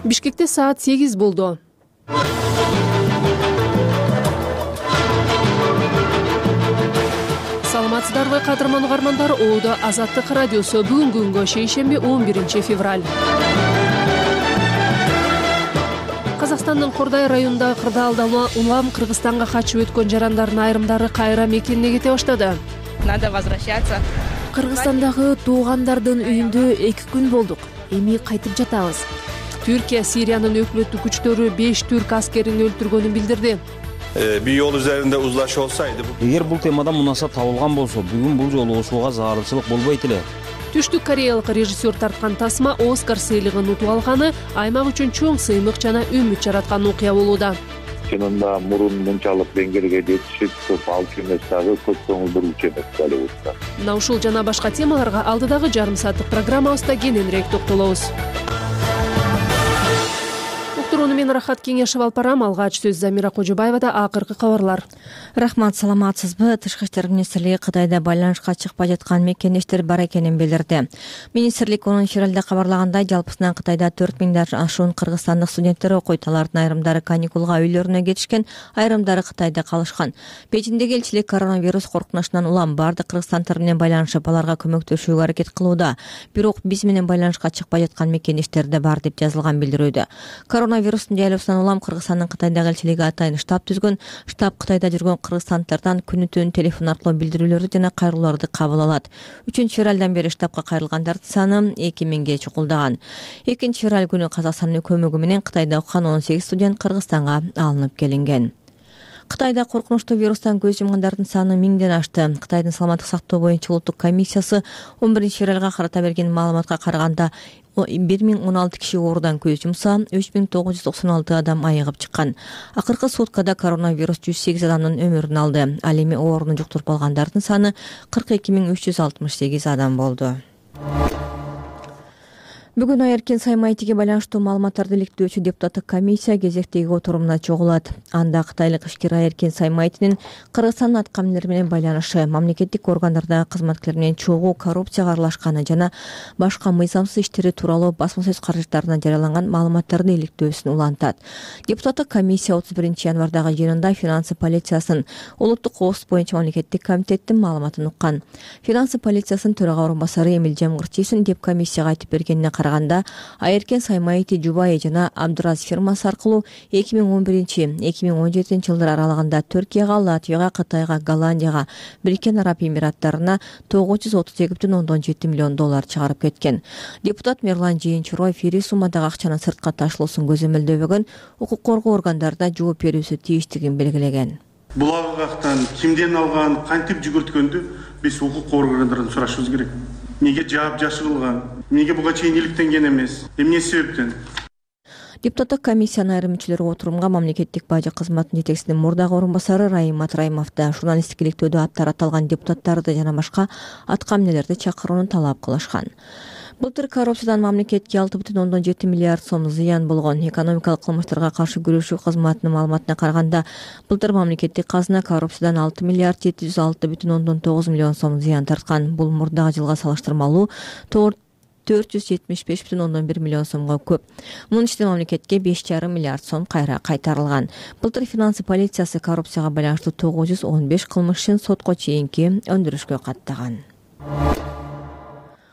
Бишкекте саат 8 болду. Саламатсыздарбы кадырман угармандар, Оодо Азаттык радиосу. Бүгүнкү күнгө шейшемби 11 февраль. Казакстандын Кордай районундагы кырдаалда улам Кыргызстанга качып өткөн жарандардын айрымдары кайра мекенине кете баштады. Надо возвращаться. Кыргызстандагы туугандардын үйүндө 2 күн болдук. Эми кайтып жатабыз. Түркия Сириянын өкмөттүк күчтөрү 5 түрк аскерин өлтүргөнүн билдирди. Bir yol üzerinde uzlaşı olsaydı... Эгер бул темадан мунаса табылган болсо, бүгүн бул жолугушууга зарылчылык болбойт эле. Түштүк кореялык режиссер тарткан тасма Оскар сыйлыгын утуп алганы аймак үчүн чоң сыймык жана үмүт жараткан окуя болууда. Чынында мурун мынчалык деңгээлге жетишип көп алчу эмес дагы, көп көңүлдөрүүчү эмес Голливудда. Мына ушул жана башка темаларга алдыдагы жарым сааттык программабызда кененирээк токтолобуз. Уктурууну мен Рахат Кеңешев алып барам. Алгач сөз Замира Кожобаевада. Акыркы кабарлар. Рахмат, саламатсызбы? Тышкы иштер министрлиги Кытайда байланышка чыкпай жаткан мекендештер бар экенин билдирди. Министрлик 10 февралда кабарлагандай, жалпысынан Кытайда 4000 ашуун кыргызстандык студенттер окуйт. Алардын айрымдары каникулга үйлөрүнө кетишкен, айрымдары Кытайда калышкан. Бейжиңдеги элчилик коронавирус коркунучунан улам бардык кыргызстандыктар менен байланышып, аларга көмөктөшүүгө аракет кылууда. Бирок биз менен байланышка чыкпай жаткан мекендештер да бар деп жазылган билдирүүдө. Коронавирустун жайлоосунан улам Кыргызстандын Кытайдагы элчилиги атайын штаб түзгөн. Штаб Кытайда жүргөн кыргызстандыктардан күнү-түн телефон аркылуу билдирүүлөрдү жана кайрылууларды кабыл алат. 3 февралдан бери штабка кайрылгандардын саны 2000ге чукулдаган. 2 февраль күнү Казакстандын көмөгү менен Кытайда окуган 18 студент Кыргызстанга алынып келинген. Кытайда коркунучтуу вирустан көз жумгандардын саны 1000ден ашты. Кытайдын саламаттык сактоо боюнча улуттук комиссиясы 11 февралга карата берген маалыматка караганда 1016 киши оорудан көз жумса, 3996 адам айыгып чыккан. Акыркы суткада коронавирус 108 адамдын өмүрүн алды. Ал эми ооруну жуктуруп алгандардын саны 42368 адам болду. Бүгүн Айеркен Саймайтиге байланыштуу маалыматтарды иликтөөчү депутаттык комиссия кезектеги отурумуна чогулат. Анда кытайлык ишкер Айеркен Саймайтинин Кыргызстандын аткаминери менен байланышы, мамлекеттик органдардагы кызматкерлер менен чогуу коррупцияга аралашканы жана башка мыйзамсыз иштери тууралуу басма сөз каражаттарына жарыяланган маалыматтарды иликтөөсүн улантат. Депутаттык комиссия 31 январдагы жыйынында финансы полициясынын улуттук коопсуздук боюнча мамлекеттик комитеттин маалыматын уккан. Финансы полициясынын төрага орун басары Эмилжан Кырчиевдин деп комиссияга айтып бергенине караганда, Айеркен Саймайти жубайы жана Абдураз фирмасы аркылуу 2011-2017 жылдар аралыгында Түркияга, Латвияга, Кытайга, Голландияга, Бириккен Араб Эмираттарына 932,7 миллион доллар чыгарып кеткен. Депутат Мерлан Жээнчуроев ири суммадагы акчанын сыртка ташылуусун көзөмөлдөбөгөн, укук коргоо органдарында жооп берүүсү тийиштигин белгилеген. Бул агактан кимден алган, кантип жүгүрткөндү биз укук органдарынан сурашыбыз керек. Неге жаап жашырылган? Неге буга чейин иликтенген эмес? Эмне себептен? Депутаттык комиссиянын айрым мүчөлөрү отурумга мамлекеттик бажы кызматынын жетекчисинин мурдагы орун басары Раим Матраимов да журналисттик иликтөөдө аттары аталган депутаттарды жана башка аткаминерлерди чакырууну талап кылышкан. Былтыр коррупциядан мамлекетке 6,7 миллиард сом зыян болгон. Экономикалык кылмыштарга каршы күрөшүү кызматынын маалыматына караганда, былтыр мамлекеттик казына коррупциядан 6 миллиард 706,9 миллион сом зыян тарткан. Бул мурдагы жылга салыштырмалуу 475,1 миллион сомго көп. Мунун ичинде мамлекетке 5,5 миллиард сом кайра кайтарылган. Былтыр финансы полициясы коррупцияга байланыштуу 915 кылмыш ишин сотко чейинки өндүрүшкө каттаган.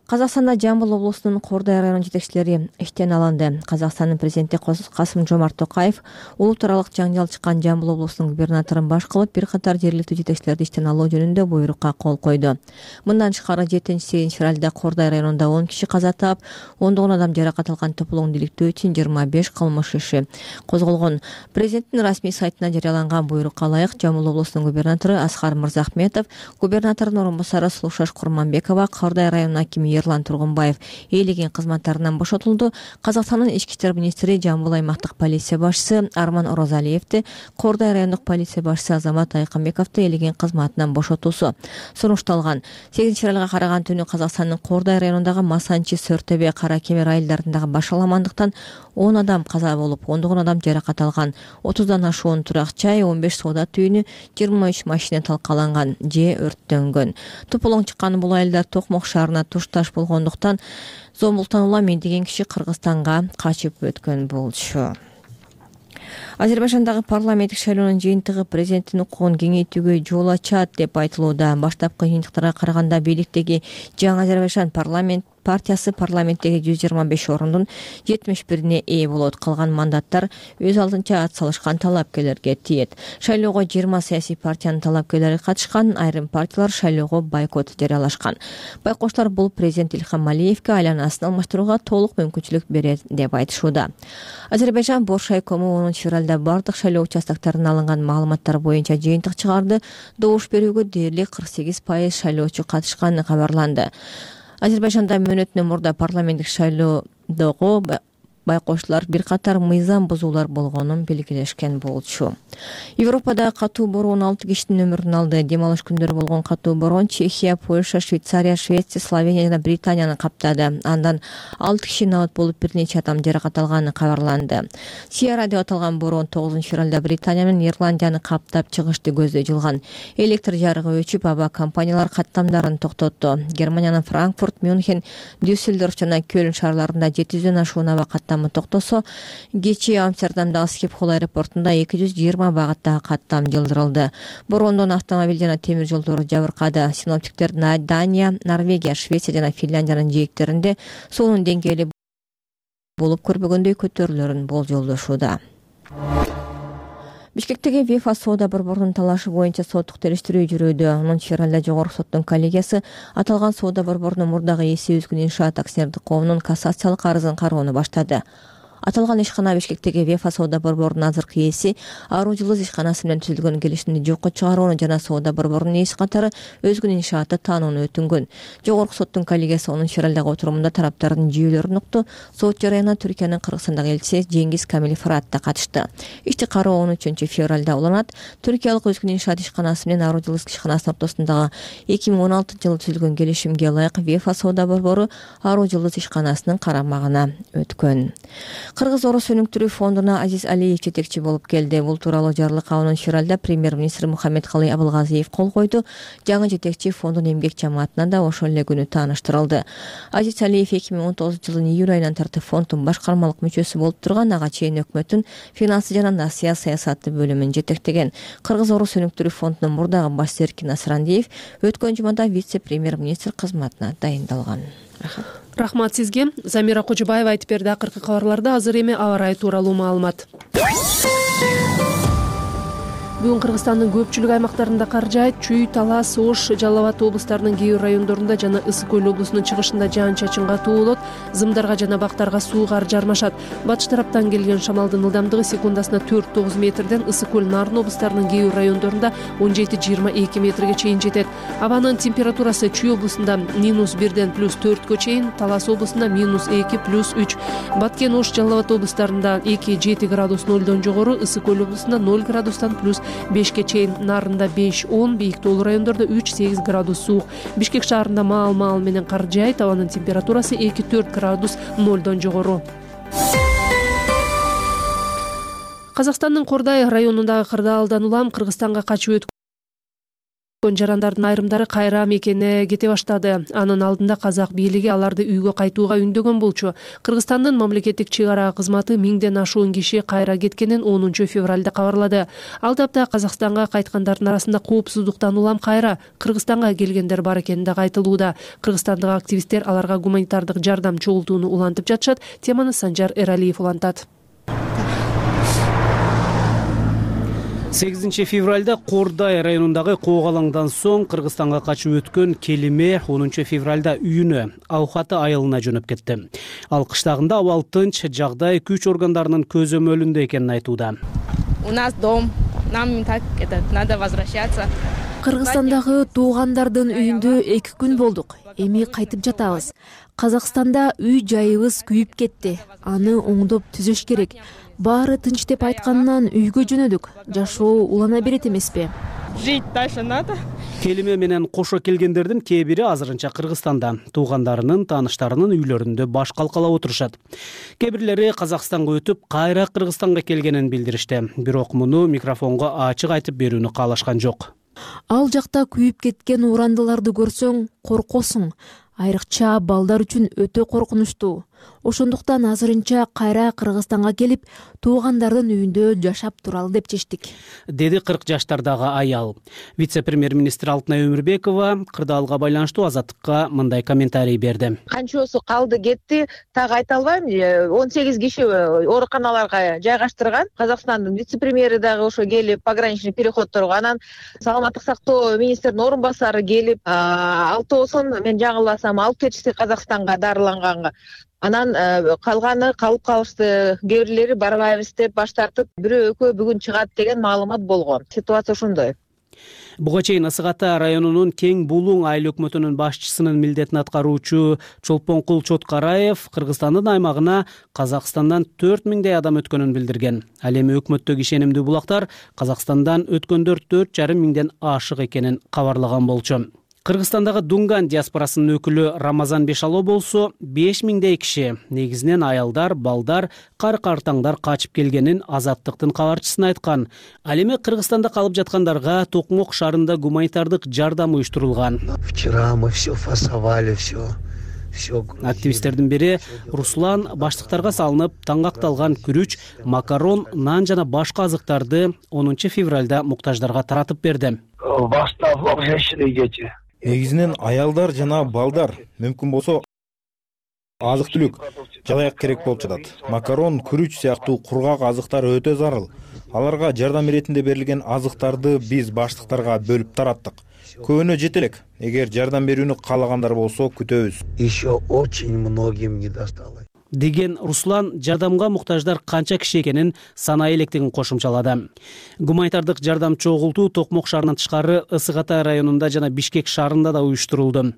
Казакстанда Жамбыл облусунун Кордай районунун жетекчилери иштен алынды. Казакстандын президенти Касым-Жомарт Токаев улут аралык жаңжал чыккан Жамбыл облусунун губернаторун баш кылып, бир катар жергиликтүү жетекчилерди иштен алуу жөнүндө буйрукка кол койду. Мындан тышкары 7-8 февралда Кордай районунда 10 киши каза таап, ондогон адам жаракат алган тополоңду иликтөө үчүн 25 кылмыш иши козголгон. Президенттин расмий сайтына жарыяланган буйрукка ылайык Жамбыл облусунун губернатору Аскар Мырзахметов, губернатордун орун басары Сулушаш Курманбекова, Кордай районунун акими Ерлан Тургунбаев ээлеген кызматтарынан бошотулду. Казакстандын ички иштер министри, Жамбыл аймактык полиция башчысы Арман Орозалиевди, Кордай райондук полиция башчысы Азамат Айкынбековду ээлеген кызматынан бошотуусу сунушталган. 8 февралга караган түнү Казакстандын Кордай районундагы Масанчи, Сөртөбө, Кара Кемер айылдарындагы башаламандыктан 10 адам каза болуп, 10 адам жаракат алган. 30дан ашуун турак чай, 15 соода түйүнү, 23 машина талкаланган же өрттөнгөн. Тополоң чыккан бул айылдар Токмок шаарына тушташ болгондуктан Зомбултан Улам деген киши Кыргызстанга качып өткөн болчу. Азербайжандагы парламенттик шайлоонун жыйынтыгы президенттин укугун кеңейтүүгө жол ачат деп айтылууда. Баштапкы жыйынтыктарга караганда бийликтеги Жаңы Азербайжан партиясы парламенттеги 125 орундун 71-ине ээ болот. Калган мандаттар өз алдынча ат салышкан талапкерлерге тиет. Шайлоого 20 саясий партиянын талапкерлери катышкан, айрым партиялар шайлоого бойкот жарыялашкан. Байкоштор бул президент Илхам Алиевге айланасын алмаштырууга толук мүмкүнчүлүк берет деп айтышууда. Азербайжан Боршайкому 10 февралда бардык шайлоо участоктарынан алынган маалыматтар боюнча жыйынтык чыгарды. Добуш берүүгө дээрлик 48% шайлоочу катышканы кабарланды. Азербайжанда мөөнөтүнөн мурда парламенттик шайлоодогу байкоштуулар бир катар мыйзам бузуулар болгонун белгилешкен болчу. Европада катуу бороон 6 кишинин өмүрүн алды. Дем алыш күндөрү болгон катуу бороон Чехия, Польша, Швейцария, Швеция, Словения жана Британияны каптады. Андан 6 киши набат болуп бир нече адам жаракат алганы кабарланды. Сиара деп аталган бороон 9 февралда Британия менен Ирландияны каптап чыгышты көздөй Электр жарыгы өчүп, аба компаниялар каттамдарын токтотту. Германиянын Франкфурт, Мюнхен, Дюссельдорф жана Кёлн шаарларында 700дөн ашуун аба токтосо, кечээ Амстердамдагы Скипхол аэропортунда 220 багаттагы каттам жылдырылды. Бороондон автомобиль жана темир жолдору жабыркады. Синоптиктер Дания, Норвегия, Швеция жана Финляндиянын жээктеринде суунун деңгээли болуп көрбөгөндөй көтөрүлөрүн болжолдошууда. Бишкектеги ВИФА соода борборунун талашы боюнча соттук териштирүү жүрүүдө. 10 февралда жогорку соттун коллегиясы аталган соода борборунун мурдагы ээси Өзгүн иншаат акционердик коомунун кассациялык арызын кароону баштады. Аталган ишкана Бишкектеги ВИФА соода борборунун азыркы ээси Аруу Жылдыз ишканасы менен түзүлгөн келишимди жокко чыгарууну жана соода борборунун ээси катары Өзгүн иншааты таанууну өтүнгөн. Жогорку соттун коллегиясы 10 февралдагы отурумунда тараптардын жүйөлөрүн укту. Сот жарыянына Түркиянын Кыргызстандагы элчиси Жеңгиз Камил Фырат да катышты. Ишти кароо 13 февралда уланат. Түркиялык Өзгүн иншаат ишканасы менен Аруу Жылдыз ишканасынын ортосундагы 2016-жылы түзүлгөн келишимге ылайык ВИФА соода борбору Аруу Жылдыз ишканасынын карамагына өткөн. Кыргыз Орус өнүктүрүү фондуна Азиз Алиев жетекчи болуп келди. Бул тууралуу жарлыкка 10 февралда премьер-министр Мухаммедкалый Абылгазиев кол койду. Жаңы жетекчи фондун эмгек жамаатына да ошол эле күнү тааныштырылды. Азиз Алиев 2019-жылдын июль айынан тартып фонддун башкармалык мүчөсү болуп турган, ага чейин өкмөттүн финансы жана насыя саясаты бөлүмүн жетектеген. Кыргыз Орус өнүктүрүү фондунун мурдагы башчысы Эркин Асрандиев өткөн жумада вице-премьер-министр кызматына дайындалган. Рахмат сизге. Замира Кожобаева айтып берди. Акыркы кабарларда азыр эми аба ырайы тууралуу маалымат. Бүгүн Кыргызстандын көпчүлүк аймактарында кар жаайт. Чүй, Талас, Ош, Жалал Абад облустарынын кээ бир райондорунда жана Ысык Көл облусунун чыгышында жаан-чачын катуу болот. Зымдарга жана бактарга суу кар жармашат. Батыш тараптан келген шамалдын ылдамдыгы секундасына 4-9 метрден Ысык Көл, Нарын облустарынын кээ бир райондорунда 17-22 метрге чейин жетет. Абанын температурасы Чүй облусунда -1ден +4кө чейин, Талас облусунда -2 +3, Баткен, Ош, Жалал Абад облустарында 2-7 градус 0дон жогору, Ысык Көл облусунда 0 градустан +5ке чейин, Нарында 5-10, бийик тоолуу райондордо 3-8 градус суук. Бишкек шаарында маал менен кар жаайт. Абанын температурасы 2-4 градус 0дон жогору. Казакстандын Кордай районундагы Кырдаалдан улам Кыргызстанга качып өткөн жарандардын айрымдары кайра мекенине кете баштады. Анын алдында казак бийлиги аларды үйгө кайтууга үндөгөн болчу. Кыргызстандын мамлекеттик чек-ара кызматы 1000ден ашуун киши кайра кеткенин 10 февралда кабарлады. Ал тапта Казакстанга кайткандардын арасында коопсуздуктан улам кайра Кыргызстанга келгендер бар экени да айтылууда. Кыргызстандык активисттер аларга гуманитардык жардам чогултууну улантып жатышат. Теманы Санжар Эралиев улантат. 8 февралда Кордай районундагы Коогалаңдан соң Кыргызстанга качып өткөн Келиме 10 февралда үйүнө, Аухаты айылына жөнөп кетти. Ал кыштагында абал тынч, жагдай күч органдарынын көзөмөлүндө экенин айтууда. У нас дом, нам так надо возвращаться. Кыргызстандагы туугандардын үйүндө 2 күн болдук. Эми кайтып жатабыз. Казакстанда үй жайыбыз күйүп кетти. Аны оңдоп түзөш керек. Баары тынч деп айткандан үйгө жөнөдүк. Жашоо улана берет эмеспи? Жить дальше надо. Келиме менен кошо келгендердин кээ бири азырынча Кыргызстанда, туугандарынын, тааныштарынын үйлөрүндө баш калкалап отурушат. Кээ бирлери Казакстанга өтүп, кайра Кыргызстанга келгенин билдиришти. Бирок муну микрофонго ачык айтып берүүнү каалашкан жок. Ал жакта күйүп кеткен урандыларды көрсөң, коркосуң. айрыкча балдар үчүн өтө коркунучтуу. Ошондуктан азырынча кайра Кыргызстанга келип, туугандардын үйүндө жашап туралы деп чечтик, деди 40 жаштардагы аял. Вице-премьер-министр Алтынай Өмүрбекова кырдаалга байланыштуу Азаттыкка мындай комментарий берди. Канчосу калды кетти, так айта албайм. 18 киши ооруканаларга жайгаштырган. Казакстандын вице-премьери дагы ошо келип, пограничный переходторго, анан саламаттык сактоо министринин орун басары келип, алтоосун мен жаңылбасам алып кетишти Казакстанга дарыланганга. Анан калганы калып калышты, кээ бирлери барбайбыз деп баш тартып, бирөө экөө бүгүн чыгат деген маалымат болгон. Ситуация ошондой. Буга чейин Ысык Ата районунун Кең Булуң айыл өкмөтүнүн башчысынын милдетин аткаруучу Чолпонкул Чоткараев Кыргызстандын аймагына Казакстандан 4000 адам өткөнүн билдирген. Ал эми өкмөттөгү ишенимдүү булактар Казакстандан өткөндөр 4,5 миңден ашык экенин кабарлаган болчу. Кыргызстандагы Дунган диаспорасынын өкүлү Рамазан Бешало болсо 5000 киши, негизинен аялдар, балдар, кар-картаңдар качып келгенин Азаттыктын кабарчысына айткан. Ал эми Кыргызстанда калып жаткандарга Токмок шаарында гуманитардык жардам уюштурулган. Вчера мы все фасовали, все. Активисттердин бири Руслан баштыктарга салынып таңгакталган күрүч, макарон, нан жана башка азыктарды 10 февралда муктаждарга таратып берди. Негизинен аялдар жана балдар, мүмкүн болсо азык-түлүк, жалаяк керек болуп жатат. Макарон, күрүч сыяктуу кургак азыктар өтө зарыл. Аларга жардам иретинде берилген азыктарды биз баштыктарга бөлүп тараттык. Көбүнө жете элек. Эгер жардам берүүнү каалагандар болсо күтөбүз. Еще очень многим не досталось. Деген Руслан жардамга муктаждар канча киши экенин санай электигин кошумчалады. Гуманитардык жардам чогултуу Токмок шаарынан тышкары Ысык Ата районунда жана Бишкек шаарында да уюштурулду.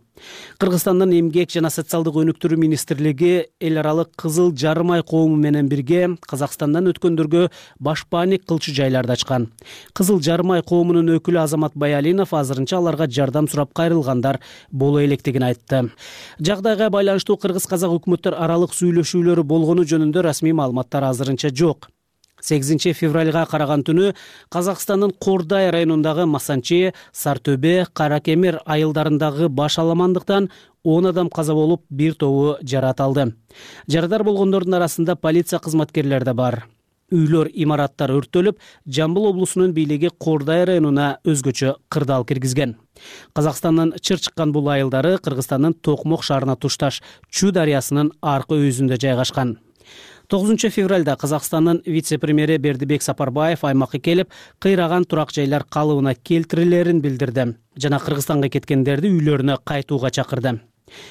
Кыргызстандын эмгек жана социалдык өнүктүрүү министрлиги эл аралык Кызыл Жарым ай коому менен бирге Казакстандан өткөндөргө башпааник кылчу жайларды ачкан. Кызыл Жарым ай коомунун өкүлү Азамат Баялинов азырынча аларга жардам сурап кайрылгандар боло электигин айтты. Жагдайга байланыштуу кыргыз-казак өкмөттөр аралык сүйлөшүүлөрү болгону жөнүндө расмий маалыматтар азырынча жок. 8 февралга караган түнү Казакстандын Кордай районундагы Масанчи, Сартөбе, Каракемер айылдарындагы баш аламандыктан 10 адам каза болуп, бир тобу жаракат алды. Жарадар болгондордун арасында полиция кызматкерлери да бар. Үйлөр, имараттар өрттөлүп, Жамбыл облусунун бийлиги Кордай районуна өзгөчө кырдаал киргизген. Казакстандын чыр чыккан бул айылдары Кыргызстандын Токмок шаарына тушташ Чу дарыясынын аркы өзүндө жайгашкан. 9 февралда Казакстандын вице-премьери Бердибек Сапарбаев аймакка келип, кыйраган турак жайлар калыбына келтирилерин билдирди жана Кыргызстанга кеткендерди үйлөрүнө кайтууга чакырды.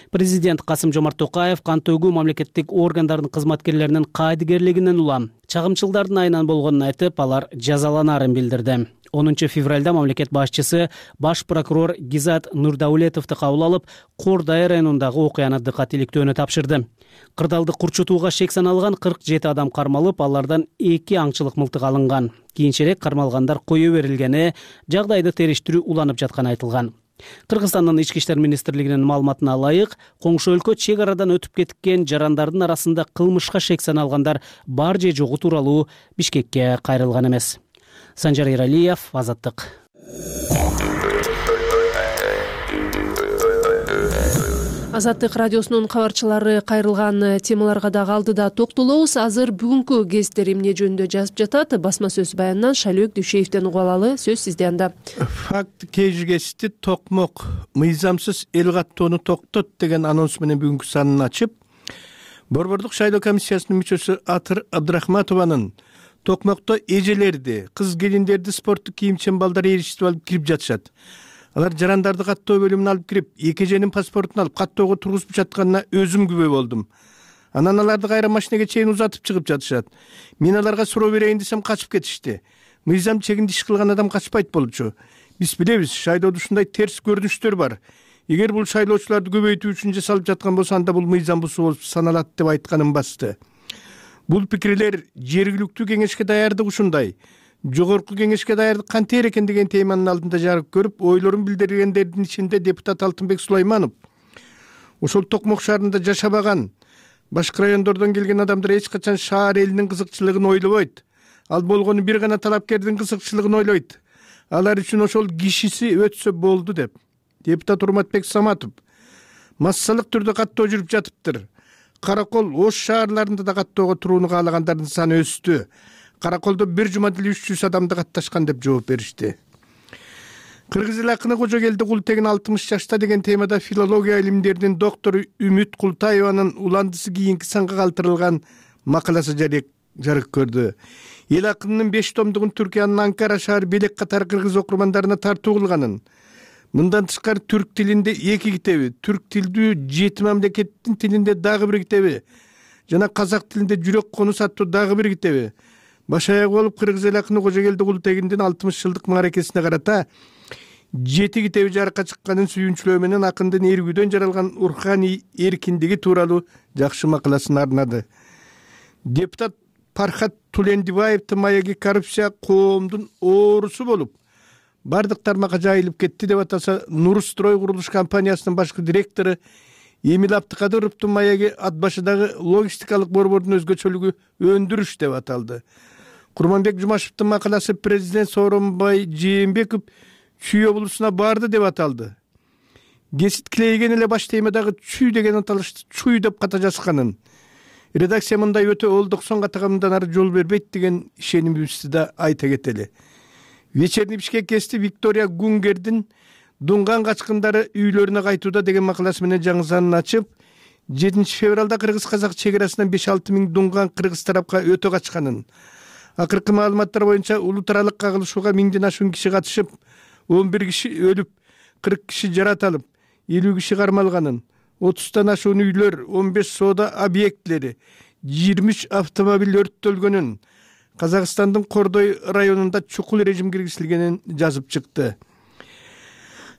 Президент Касым-Жомарт Токаев кантөгүү мамлекеттик органдардын кызматкерлеринин кайдыгерлигинен улам чагымчылдардын айынан болгонун айтып, алар жазаланарын билдирди. 10 февралда мамлекет башчысы баш прокурор Гизат Нурдаулетовду кабыл алып, Кордай районундагы окуяны дыкат иликтөөнү тапшырды. Кырдаалды курчутууга шек саналган 47 адам кармалып, алардан 2 аңчылык мылтык алынган. Кийинчерээк кармалгандар кое берилгени, жагдайды териштирүү уланып жатканы айтылган. Кыргызстандын ички иштер министрлигинин маалыматына ылайык, коңшу өлкө чек арадан өтүп кеткен жарандардын арасында кылмышка шек саналгандар бар же жогу тууралуу Бишкекке кайрылган эмес. Санжар Иралиев, Азаттык. Азаттык радиосунун кабарчылары кайрылган темаларга дагы алдыда токтолобуз. Азыр бүгүнкү гезиттер эмне жөнүндө жазып жатат? Басма сөз баянынан Шалөк Дүйшеевден угуп алалы. Сөз сизде анда. Факт кежигести Токмок мыйзамсыз эл каттоону токтот деген анонс менен бүгүнкү санын ачып, Борбордук шайлоо комиссиясынын мүчөсү Атыр Абдрахматованын Токмокто эжелерди, кыз келиндерди спорттук кийим-чембалдар ээрчитип алып кирип жатышат. Алар жарандарды каттоо бөлүмүнө алып кирип, эки эженин паспортун алып каттоого тургузуп жатканына өзүм күбө болдум. Анан аларды кайра машинеге чейин узатып чыгып жатышат. Мен аларга суроо берейин десем качып кетишти. Мыйзам чегинде иш кылган адам качпайт болчу. Биз билебиз, шайлоодо ушундай терс көрүнүштөр бар. Эгер бул шайлоочуларды көбөйтүү үчүн жасалып жаткан болсо, анда бул мыйзам бузуу болуп саналат деп айтканым басты. Бул пикирлер жергиликтүү кеңешке даярдык ушундай. Жогорку кеңешке даярдык кантер экен деген теманын алдында жарык көрүп, ойлорун билдиргендердин ичинде депутат Алтынбек Сулайманов. Ошол Токмок шаарында жашабаган, башка райондордон келген адамдар эч качан шаар элинин кызыкчылыгын ойлобойт. Ал болгону бир гана талапкердин кызыкчылыгын ойлойт. Алар үчүн ошол кишиси өтсө болду деп. Депутат Урматбек Саматов массалык түрдө каттоо жүрүп жатыптыр. Каракол Ош шаарларында да каттоого турууну каалагандардын саны өстү. Караколдо бир жума деле 300 адамды катташкан деп жооп беришти. Кыргыз эл акыны Кожогелди Култегин 60 жашта деген темада филология илимдеринин доктору Үмүт Култаеванын уландысы кийинки санга калтырылган макаласы жарык көрдү. Эл акынынын 5 томдугун Түркиянын Анкара шаар белек катары кыргыз окурмандарына тартуу кылганын, мындан тышкары түрк тилинде 2 китеби, түрк тилдүү 7 мамлекеттин тилинде дагы 1 китеби жана казак тилинде Жүрөк конус аттуу дагы 1 китеби баш аяк болуп кыргыз эл акыны Кожогелди Култегиндин 60 жылдык мааракесине карата 7 китеби жарыкка чыкканын сүйүнчүлөө менен акындын эргүүдөн жаралган руханий эркиндиги тууралуу жакшы макаласын арнады. Депутат Пархат Тулендибаевдин маеги коррупция коомдун оорусу болуп, бардык тармакка жайылып кетти деп атаса, Нурстрой курулуш компаниясынын башкы директору Эмил Абдыкадыровдун маеги ат башыдагы логистикалык борбордун өзгөчөлүгү өндүрүш деп аталды. Курманбек Жумашевдин макаласы президент Сооронбай Жээнбеков Чүй облусуна барды деп аталды. Кесит Клейген эле баш темадагы чүй деген аталышты чуй деп ката жазганын, редакция мындай өтө олдоксон катагамдан ары жол бербейт деген ишенимибизди да айта кетели. Вечерний Бишкек кести Виктория Гунгердин дунган качкындары үйлөрүнө кайтууда деген макаласы менен жаңы санын ачып, 7 февралда кыргыз-казак чекарасынан 5-6 миң дунган кыргыз тарапка өтө качканын, акыркы маалыматтар боюнча улутаралык кагылышууга 1000ден ашуун киши катышып, 11 киши өлүп, 40 киши жаратылып, 50 киши кармалганын, 30тан ашуун үйлөр, 15 соода объектилери, 23 автомобиль өрттөлгөнүн, Казакстандын Кордой районунда чукул режим киргизилгенин жазып чыкты.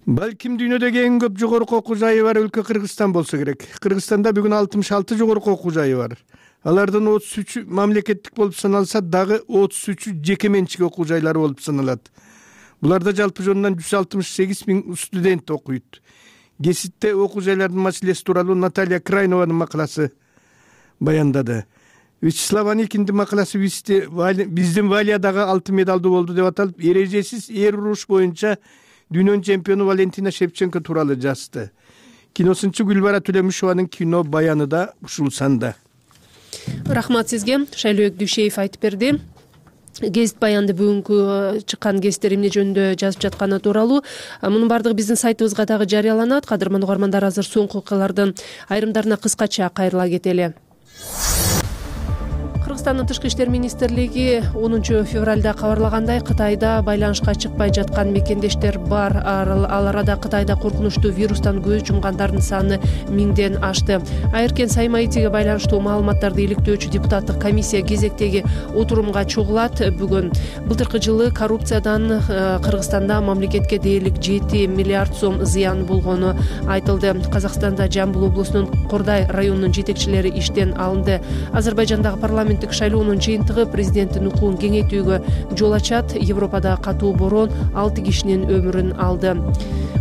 Балким дүйнөдөгү эң көп жогорку окуу жайы бар өлкө Кыргызстан болсо керек. Кыргызстанда бүгүн 66 жогорку окуу жайы бар. Алардын 33 мамлекеттик болуп саналса, дагы 33 жеке менчик окуу жайлары болуп саналат. Буларда жалпы жонунан 168 миң студент окуйт. Кеситте окуу жайлардын маселеси тууралуу Наталья Крайнованын макаласы баяндады. Вячеслав Аникиндин макаласы биздин Валиядагы алтын медалдуу болду деп аталып, эрежесиз эр уруш боюнча дүйнөнүн чемпиону Валентина Шевченко тууралуу жазды. Киносунчу Гүлбара Төлөмүшованын кино баяны да ушул санда. Рахмат сизге. Шайлообек Дүйшеев айтып берди. Гезит баянды бүгүнкү чыккан гезиттер эмне жөнүндө жазып жатканы тууралуу. Мунун бардыгы биздин сайтыбызга дагы жарыяланат. Кадырман угармандар, азыр соңку окуялардын айрымдарына кыскача кайрыла кетели. Кыргызстандын Тышкы иштер министрлиги 10 февралда кабарлагандай, Кытайда байланышка чыкпай жаткан мекендештер бар. Ал арада Кытайда коркунучтуу вирустан көз жумгандардын саны 1000ден ашты. Айыркен Саймаитиге байланыштуу маалыматтарды иликтөөчү депутаттык комиссия кезектеги отурумга чогулат. Бүгүн былтыркы жылы коррупциядан Кыргызстанда мамлекетке дээрлик 7 миллиард сом зыян болгону айтылды. Казакстанда Жамбыл облусунун Кордай районунун жетекчилери иштен алынды. Азербайжандагы парламент шайлоонун жыйынтыгы президенттин укугун кеңейтүүгө жол ачат. Европада катуу борон 6 кишинин өмүрүн алды.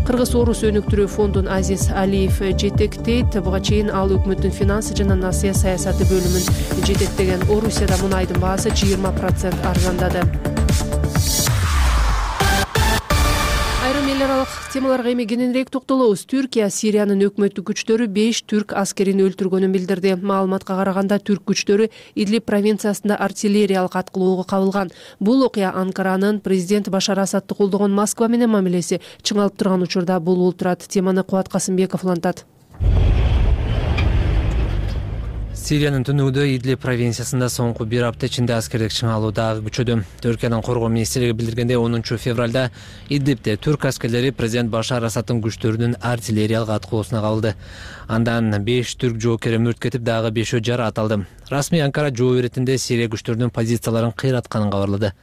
Кыргыз Орус өнүктүрүү фондун Азиз Алиев жетектейт. Буга чейин ал өкмөттүн финансы жана насыя саясаты бөлүмүн жетектеген. Орусияда мунайдын баасы 20% арзандады. Айрым эл аралык темаларга эми кененирээк токтолобуз. Түркия Сириянын өкмөттүк күчтөрү 5 түрк аскерин өлтүргөнүн билдирди. Маалыматка караганда, түрк күчтөрү Идлиб провинциясында артиллериялык аткылоого кабылган. Бул окуя Анкаранын президент Башар Асадты колдогон Москва менен мамилеси чыңалып турган учурда болуп турат. Теманы Кубат Касымбеков улантат. Сириянын түнүгүндө Идлиб провинциясында соңку бир апта ичинде аскердик чыңалуу дагы күчөдү. Түркиянын коргоо министрлиги билдиргендей, 10 февралда Идлибде түрк аскерлери президент Башар Асадтын күчтөрүнүн артиллериялык аткылоосуна кабылды. Андан 5 түрк жоокери мөрт кетип, дагы 5 жаратылды. Расмий Анкара жоо иретинде Сирия күчтөрүнүн позицияларын кыйратканын кабарлады.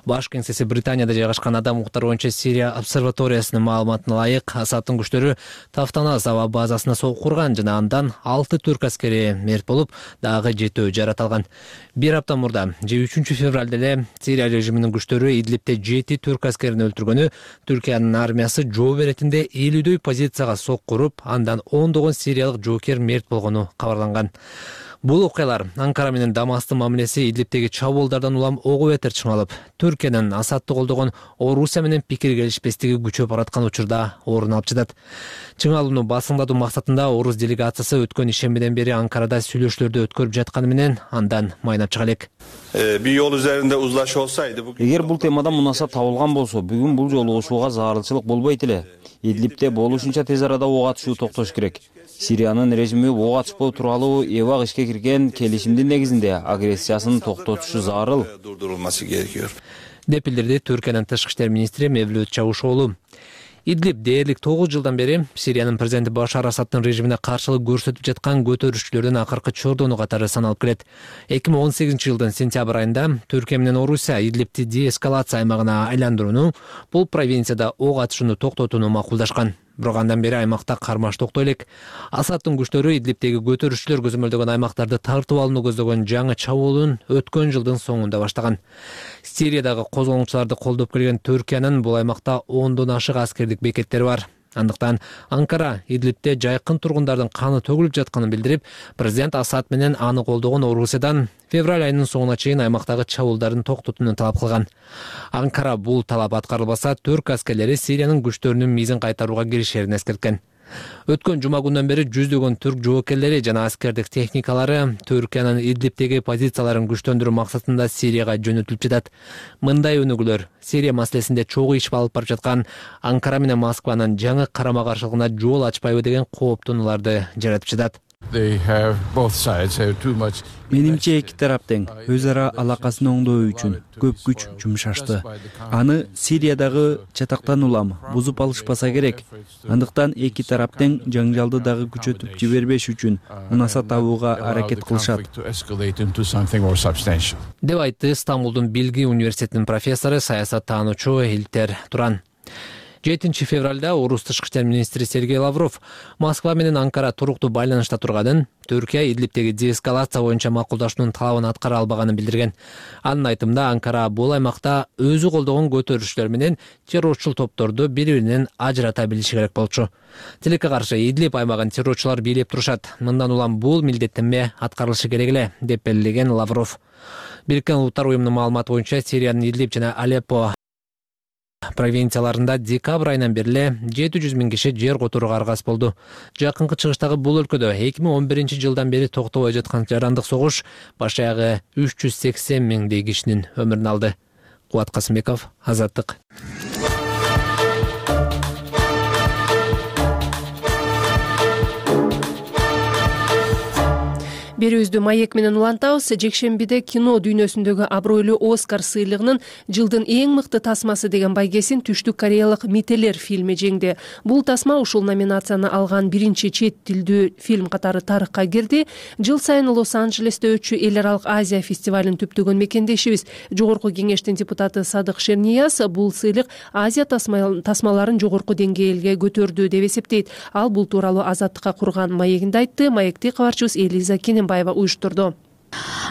Баш кеңсеси Британияда жайгашкан адам укуктары боюнча Сирия обсерваториясынын маалыматына ылайык, Асадтын күчтөрү Тафтанас аба базасына согук курган жана андан 6 түрк аскери мерт болуп, дагы 7 жаратылган. Бир апта мурда 3 февралда эле Сирия режиминин күчтөрү Идлибде 7 түрк аскерин өлтүргөнү, Түркиянын армиясы жоо иретинде 50дөй позицияга сок куруп, андан 10 сириялык жоокер мерт болгону кабарланган. Бул окуялар Анкара менен Дамастын мамилеси Идлибтеги чабуулдардан улам ого бетер чыңалып, Түркиянын Асадты колдогон Орусия менен пикир келишпестиги күчөп бараткан учурда орун алып жатат. Чыңалууну басыңдатуу максатында Орус делегациясы өткөн ишембиден бери Анкарада сүйлөшүүлөрдү өткөрүп жатканы менен андан майнап чыга элек. Bir yol üzerinde uzlaşı olsaydı Эгер бул темада мунаса табылган болсо, бүгүн бул жолугушууга зарылчылык болбойт эле. Идлибте болушунча тез арада ок атышуу токтош керек. Сириянын режими ок атышпоо тууралуу эбак ишке кирген келишимдин негизинде агрессиясын токтотушу зарыл. Durdurulması gerekiyor. Деп билдирди Түркиянын тышкы иштер министри Мевлют Чавушоглу. Идлиб дээрлик 9 жылдан бери Сириянын президенти Башар Асадтын режимине каршылык көрсөтүп жаткан көтөрүшчүлөрдүн акыркы чордону катары саналып келет. 2018 жылдын сентябрь айында Түркия менен Орусия Идлибти деэскалация аймагына айландырууну, бул провинцияда ок атышууну токтотууну макулдашкан. Бирок андан бери аймакта кармаш токтой элек. Асадтын күчтөрү Идлибтеги көтөрүшчүлөр көзөмөлдөгөн аймактарды тартып алууну көздөгөн жаңы чабуулун өткөн жылдын соңунда баштаган. Сириядагы козголоңчуларды колдоп келген Түркиянын бул аймакта 10дон ашык аскердик бекеттери бар. Андыктан Анкара Идлибте жайкын тургундардын каны төгүлүп жатканын билдирип, президент Асад менен аны колдогон Орусиядан февраль айынын соңуна чейин аймактагы чабуулдарын токтотууну талап кылган. Анкара бул талап аткарылбаса, түрк аскерлери Сириянын күчтөрүнүн мизин кайтарууга киришерин эскерткен. Өткөн жума күндөн бери жүздөгөн түрк жоокерлери жана аскердик техникалары Түркиянын Идлибтеги позицияларын күчтөндүрүү максатында Сирияга жөнөтүлүп жатат. Мындай өнүгүүлөр Сирия маселесинде чогуу иш алып барып жаткан Анкара менен Москванын жаңы карама-каршылыгына жол ачпайбы деген кооптонууларды жаратып жатат. Менимче эки тарап тең өз ара алакасын оңдоо үчүн көп күч жумшашты. Аны Сириядагы чатактан улам бузуп алышпаса керек. Андыктан эки тарап тең жаңжалды дагы күчөтүп жибербеш үчүн мунаса табууга аракет кылышат. Деп айтты Стамбулдун Билги университетинин профессору, саясаттануучу Илтер Туран. 7 февралда Орус тышкы иштер министри Сергей Лавров Москва менен Анкара туруктуу байланышта турганын, Түркия Идлибтеги деэскалация боюнча макулдашуунун талабын аткара албаганын билдирген. Анын айтымында Анкара бул аймакта өзү колдогон көтөрүшчүлөр менен террорчул топторду бири-биринен ажырата билиши керек болчу. Тилекке каршы Идлиб аймагын террорчулар бийлеп турушат. Мындан улам бул милдеттенме аткарылышы керек эле, деп белгилеген Лавров. Бириккен Улуттар уюмунун маалыматы боюнча Сириянын Идлиб жана Алеппо провинцияларында декабрь айынан бери 700 000 киши жер которууга аргас болду. Жакынкы чыгыштагы бул өлкөдө 2011 жылдан бери токтобой жаткан жарандык согуш баш аягы 380 000 кишинин өмүрүн алды. Кубат Касымбеков, Азаттык. Берүүбүздү маек менен улантабыз. Жекшембиде кино дүйнөсүндөгү абройлуу Оскар сыйлыгынын жылдын эң мыкты тасмасы деген байгесин Түштүк Кореялык Метелер фильми жеңди. Бул тасма ушул номинацияны алган биринчи чет тилдүү фильм катары тарыхка кирди. Жыл сайын Лос-Анджелесте өтчү Эл аралык Азия фестивалын түптөгөн мекендешибиз Жогорку кеңештин депутаты Садык Шернияз бул сыйлык Азия тасмаларын жогорку деңгээлге көтөрдү деп эсептейт. Ал бул тууралуу Азаттыкка курган маегинде айтты. Маекти кабарчыбыз Элиза Кененбаева уюштурду.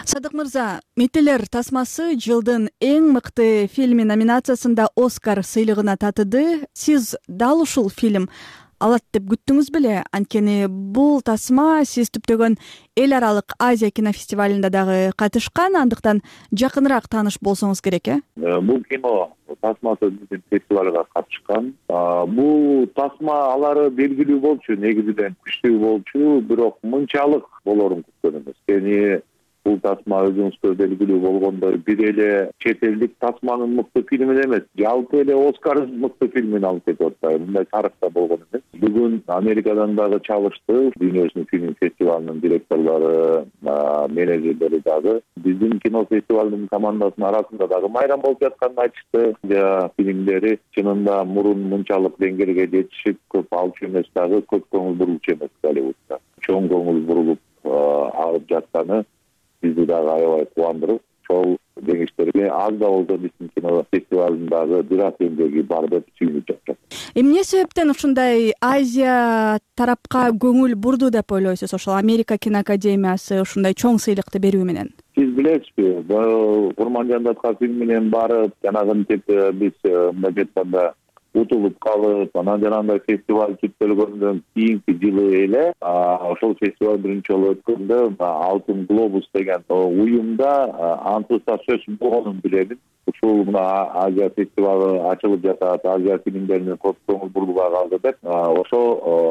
Садык мырза, Метелер тасмасы жылдын эң мыкты фильми номинациясында Оскар сыйлыгына татыды. Сиз дал ушул фильм алат деп күттүңүз беле? Анткени бул тасма сиз түптөгөн Эл аралык Азия кинофестивалында дагы катышкан, андыктан жакыныраак тааныш болсоңуз керек, Бул кино тасмасы биздин фестивалга катышкан. Бул тасма алары белгилүү болчу, негизинен күчтүү болчу, бирок мынчалык болорун күткөн эмес. Бул тасма өзүңүзгө белгилүү болгондой бир эле чет элдик тасманын мыкты фильмин эмес, жалпы эле Оскар мыкты фильмин алып кетип атат. Мындай тарыхта болгон эмес. Бүгүн Америкадан дагы чалышты, дүйнөсүнүн фильм фестивалынын директорлору, менеджерлери дагы биздин кино фестивалынын командасынын арасында дагы майрам болуп жатканын айтышты. Фильмдери чынында мурун мынчалык деңгээлге жетишип көп алчу эмес, дагы көп көңүл бурулчу эмес Голливудда. Чоң көңүл бурулуп алып жатканы бизди дагы аябай кубандырып, чоң жеңиштерге аз да болсо биздин кино фестивалындагы бирок эмгеги бар деп сүйүнүп жатат. Эмне себептен ушундай Азия тарапка көңүл бурду деп ойлойсуз? Ошол Америка киноакадемиясы ушундай чоң сыйлыкты берүү менен. Сиз билесизби, Курман Жандатка фильм менен барып, жанагынтип биз мындай айтканда утулуп калып, анан жанагындай фестиваль бүттөлгөндөн кийинки жылы эле ошол фестиваль биринчи жолу өткөндө Алтын глобус деген уюмда ансызда сөз болгонун билебин. Ушул мына Азия фестивалы ачылып жатат, Азия фильмдерине көп көңүл бурулуп калды деп, ошо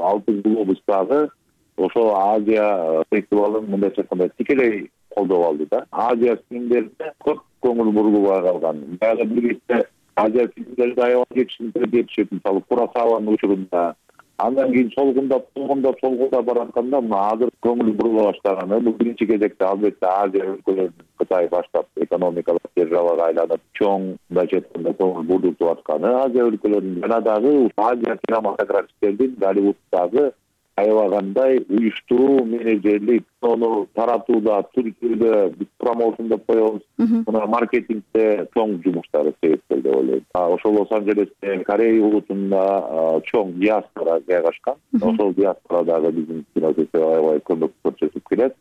Алтын глобустагы ошо Азия фестивалын мындайча айтканда тикелей колдоп алды да. Азия фильмдерине көп көңүл бурулуп калган. Дагы бир кезде Азия фильмдерди аябай жетишип, мисалы Куросаванын учурунда. Андан кийин солгундап баратканда мына азыр көңүл бурула баштаганы. Бул биринчи кезекте албетте Азия өлкөлөрүнүн Кытай баштап экономикалык державага айланып, чоң мындайча айтканда көңүл бурултуп атканы Азия өлкөлөрүнүн жана дагы Азия кинематографисттердин Голливуддагы аябагандай уюштуруу менеджерлик, ону таратууда, түркүдө биз промоушн деп коебуз, мына маркетингде чоң жумуштары себепкел деп ойлойм. Ошол Лос-Анджелесте, Корея улутунда чоң диаспора жайгашкан. Ошол диаспорадагы биздин кинофестиваль аябай көмөк көрсөтүп келет.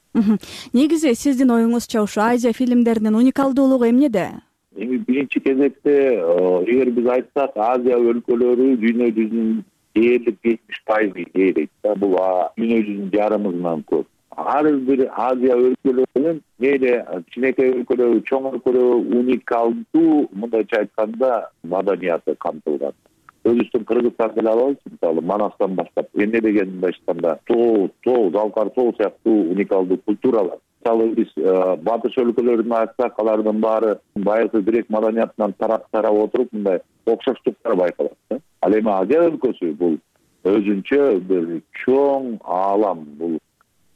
Негизи сиздин оюңузча ушу Азия фильмдеринин уникалдуулугу эмнеде? Эми биринчи кезекте эгер биз айтсак, Азия өлкөлөрү дүйнө жүзүнүн дээрлик 70% ээлейт да. Бул дүйнө жүзүнүн жарымынан көп. Ар бир Азия өлкөлөрүнүн мейли кичинекей өлкөлөрү, чоң өлкөлөрү уникалдуу мындайча айтканда маданияты камтылган. Өзүбүздүн Кыргызстанды эле алабыз, мисалы Манастан баштап эмне деген мындайча айтканда тоо, Залкар тоо сыяктуу уникалдуу культуралар. Мисалы биз батыш өлкөлөрүн айтсак, алардын баары байыркы грек маданиятынан тарап отуруп мындай окшоштуктар байкалат да. Ал эми Азия өлкөсү бул өзүнчө бир чоң аалам. Бул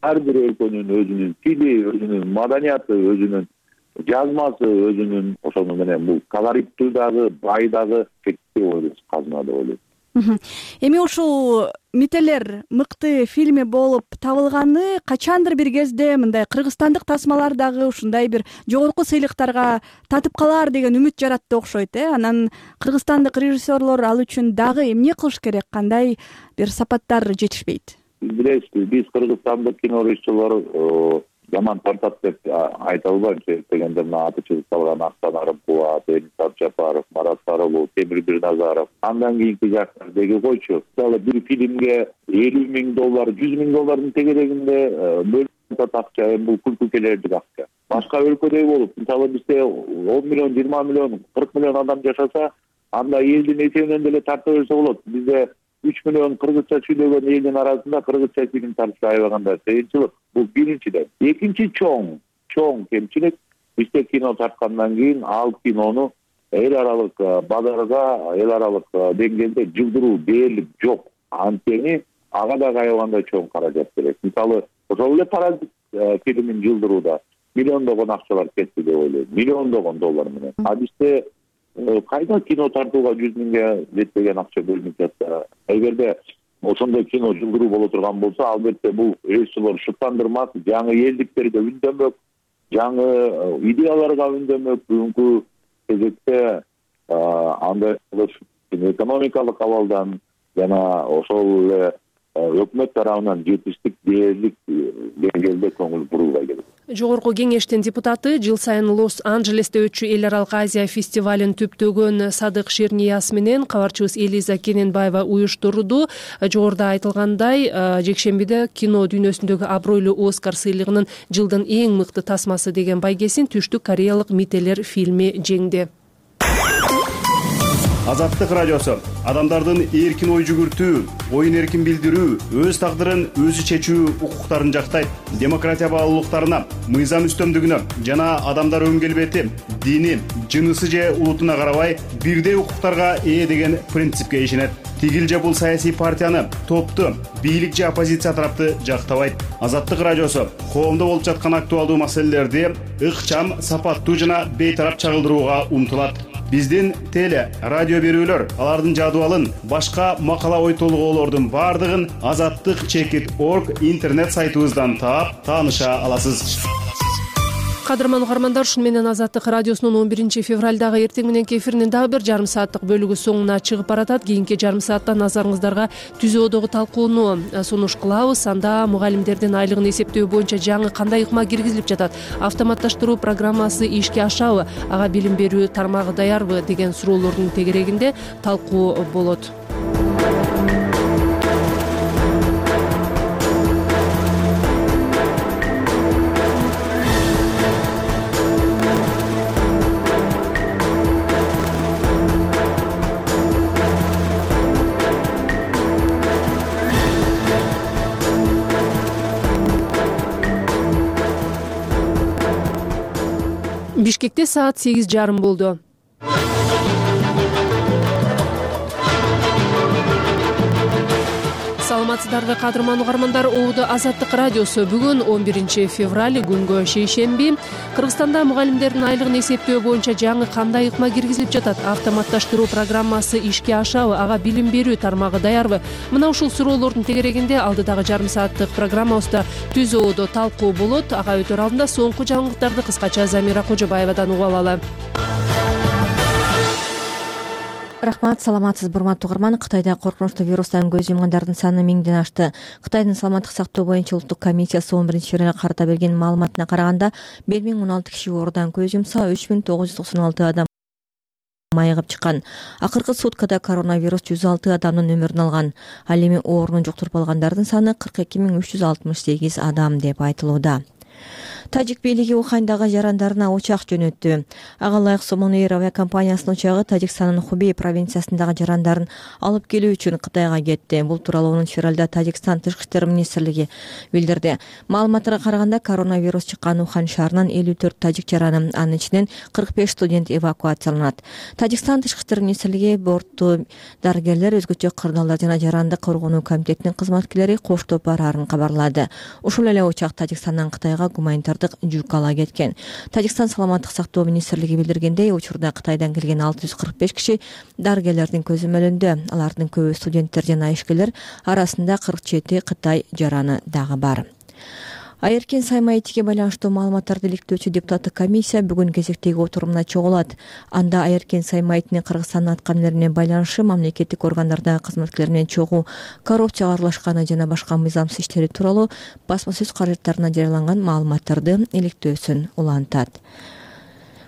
ар бир өлкөнүн өзүнүн тили, өзүнүн маданияты, өзүнүн жазмасы, өзүнүн ошону менен бул колориттүү дагы, бай дагы чектүү казына деп ойлойм. Эми ушул Мителер мыкты фильми болуп табылганы качандыр бир кезде мындай кыргызстандык тасмалар дагы ушундай бир жогорку сыйлыктарга татып калар деген үмүт жаратты окшойт. Анан кыргызстандык режиссерлор ал үчүн дагы эмне кылыш керек, кандай бир сапаттар жетишпейт? Билесизби, биз кыргызстандык кино режиссерлор жаман тартат деп айта албайм. Себеп дегенде мына аты чыгып калган Аксан Арымкулов, Денис Абжапаров, Марат Сарылов, Темир Бирназаров, андан кийинки жаштар деги койчу. Мисалы бир фильмге $50,000, $100,000 тегерегинде бөлүнүп акча, бул күлкү келердик акча. Башка өлкөдөй болуп, мисалы бизде 10 миллион, 20 миллион, 40 миллион адам жашаса, анда элдин эсебинен деле тарта берсе болот. Бизде 3 миллион кыргызча сүйлөгөн элдин арасында кыргызча фильм тартыш аябагандай кыйынчылык. Бул биринчиден. Экинчи чоң кемчилик, бизде кино тарткандан кийин ал кинону эл аралык базарга, эл аралык деңгээлде жылдыруу дээрлик жок. Анткени ага дагы аябагандай чоң каражат керек. Мисалы, ошол эле Паразит фильмин жылдырууда миллиондогон акчалар кетти деп ойлойм. Миллиондогон доллар менен. Бизде кайда кино тартууга 100 миңге жетпеген акча бөлүнүп жатса, эгерде ошондой кино жылдыруу боло турган болсо, албетте бул режиссерлор шыктандырмак, жаңы элдиктерге үндөмөк, жаңы идеяларга үндөмөк. Бүгүнкү кезекте андай экономикалык абалдан жана ошол эле өкмөт тарабынан жетиштик дээрлик деңгээлде көңүл бурулбай келет. Жогорку кеңештин депутаты жыл сайын Лос-Анджелесте өтчү эл аралык Азия фестивалын түптөгөн Садык Ширнияз менен кабарчыбыз Элиза Кененбаева уюштурду. Жогоруда айтылгандай, жекшембиде кино дүйнөсүндөгү абройлуу Оскар сыйлыгынын жылдын эң мыкты тасмасы деген байгесин Түштүк Кореялык Мителер фильми жеңди. Азаттык радиосу адамдардын эркин ой жүгүртүү, оюн эркин билдирүү, өз тагдырын өзү чечүү укуктарын жактайт. Демократия баалуулуктарына, мыйзам үстөмдүгүнө жана адамдар өн келбети, дини, жынысы же улутуна карабай бирдей укуктарга ээ деген принципке ишенет. Тигил же бул саясий партияны, топту, бийлик же оппозиция тарапты жактабайт. Азаттык радиосу коомдо болуп жаткан актуалдуу маселелерди ыкчам, сапаттуу жана бейтарап чагылдырууга умтулат. Биздин теле, радио берүүлөр, алардын жадыбалын, башка макала ой толгоолордун бардыгын azattik.org интернет сайтыбыздан таап, тааныша аласыз. Кадырман угармандар, ушун менен Азаттык радиосунун 11 февралдагы эртең мененки эфиринин дагы бир жарым сааттык бөлүгү соңуна чыгып баратат. Кийинки жарым саатта назарыңыздарга түзөөдөгү талкууну сунуш кылабыз. Анда мугалимдердин айлыгын эсептөө боюнча жаңы кандай ыкма киргизилип жатат, автоматташтыруу программасы ишке ашабы, ага билим берүү тармагы даярбы деген суроолордун тегерегинде талкуу болот. Бишкекте саат 8:30 болду. Саламатсыздарбы кадырман угармандар, Оодо Азаттык радиосу. Бүгүн 11 февраль, күнгө шейшемби. Кыргызстанда мугалимдердин айлыгын эсептөө боюнча жаңы кандай ыкма киргизилип жатат? Автоматташтыруу программасы ишке ашабы, ага билим берүү тармагы даярбы? Мына ушул суроолордун тегерегинде алдыдагы жарым сааттык программабызда түзөөдө талкуу болот. Ага өтөр алдында соңку жаңылыктарды кыскача Замира Кожобаевадан угуп алалы. Рахмат, саламатсызбы урматтуу угарман. Кытайда коркунучтуу вирустан көз жумгандардын саны 1000ден ашты. Кытайдын саламаттык сактоо боюнча улуттук комиссиясы 11 февралга карата берген маалыматына караганда 1016 киши оорудан көз жумса, 3996 адам майыгып чыккан. Акыркы суткада коронавирус 106 адамдын өмүрүн алган. Ал эми ооруну жуктуруп алгандардын саны 42368 адам деп айтылууда. Тажик бийлиги Ухандагы жарандарына учак жөнөттү. Ага ылайык Сомон Эйр авиакомпаниясынын учагы Тажикстандын Хубей провинциясындагы жарандарын алып келүү үчүн Кытайга кетти. Бул тууралуу 10 февралда Тажикстан Тышкы иштер министрлиги билдирди. Маалыматтарга караганда коронавирус чыккан Ухан шаарынан 54 тажик жараны, анын ичинен 45 студент эвакуацияланат. Тажикстан Тышкы иштер министрлиги бортту дарыгерлер, өзгөчө кырдаалдар жана жаранды коргонуу комитетинин кызматкерлери коштоп бараарын кабарлады. Ушул эле учак Тажикстандан Кытайга гуманитардык жүк ала кеткен. Тажикстан саламаттык сактоо министрлиги билдиргендей, учурда Кытайдан келген 645 киши дарыгерлердин көзөмөлүндө. Алардын көбү студенттер жана ишкерлер, арасында 47 Кытай жараны дагы бар. Айыркен Саймайтиге байланыштуу маалыматтарды иликтөөчү депутаттык комиссия бүгүн кезектеги отурумуна чогулат. Анда Айыркен Саймайтинин Кыргызстандын аткан эмнерине байланышы, мамлекеттик органдардагы кызматкерлер менен чогуу коррупцияга аралашканы жана башка мыйзамсыз иштери тууралуу басма сөз каражаттарына жарыяланган маалыматтарды иликтөөсүн улантат.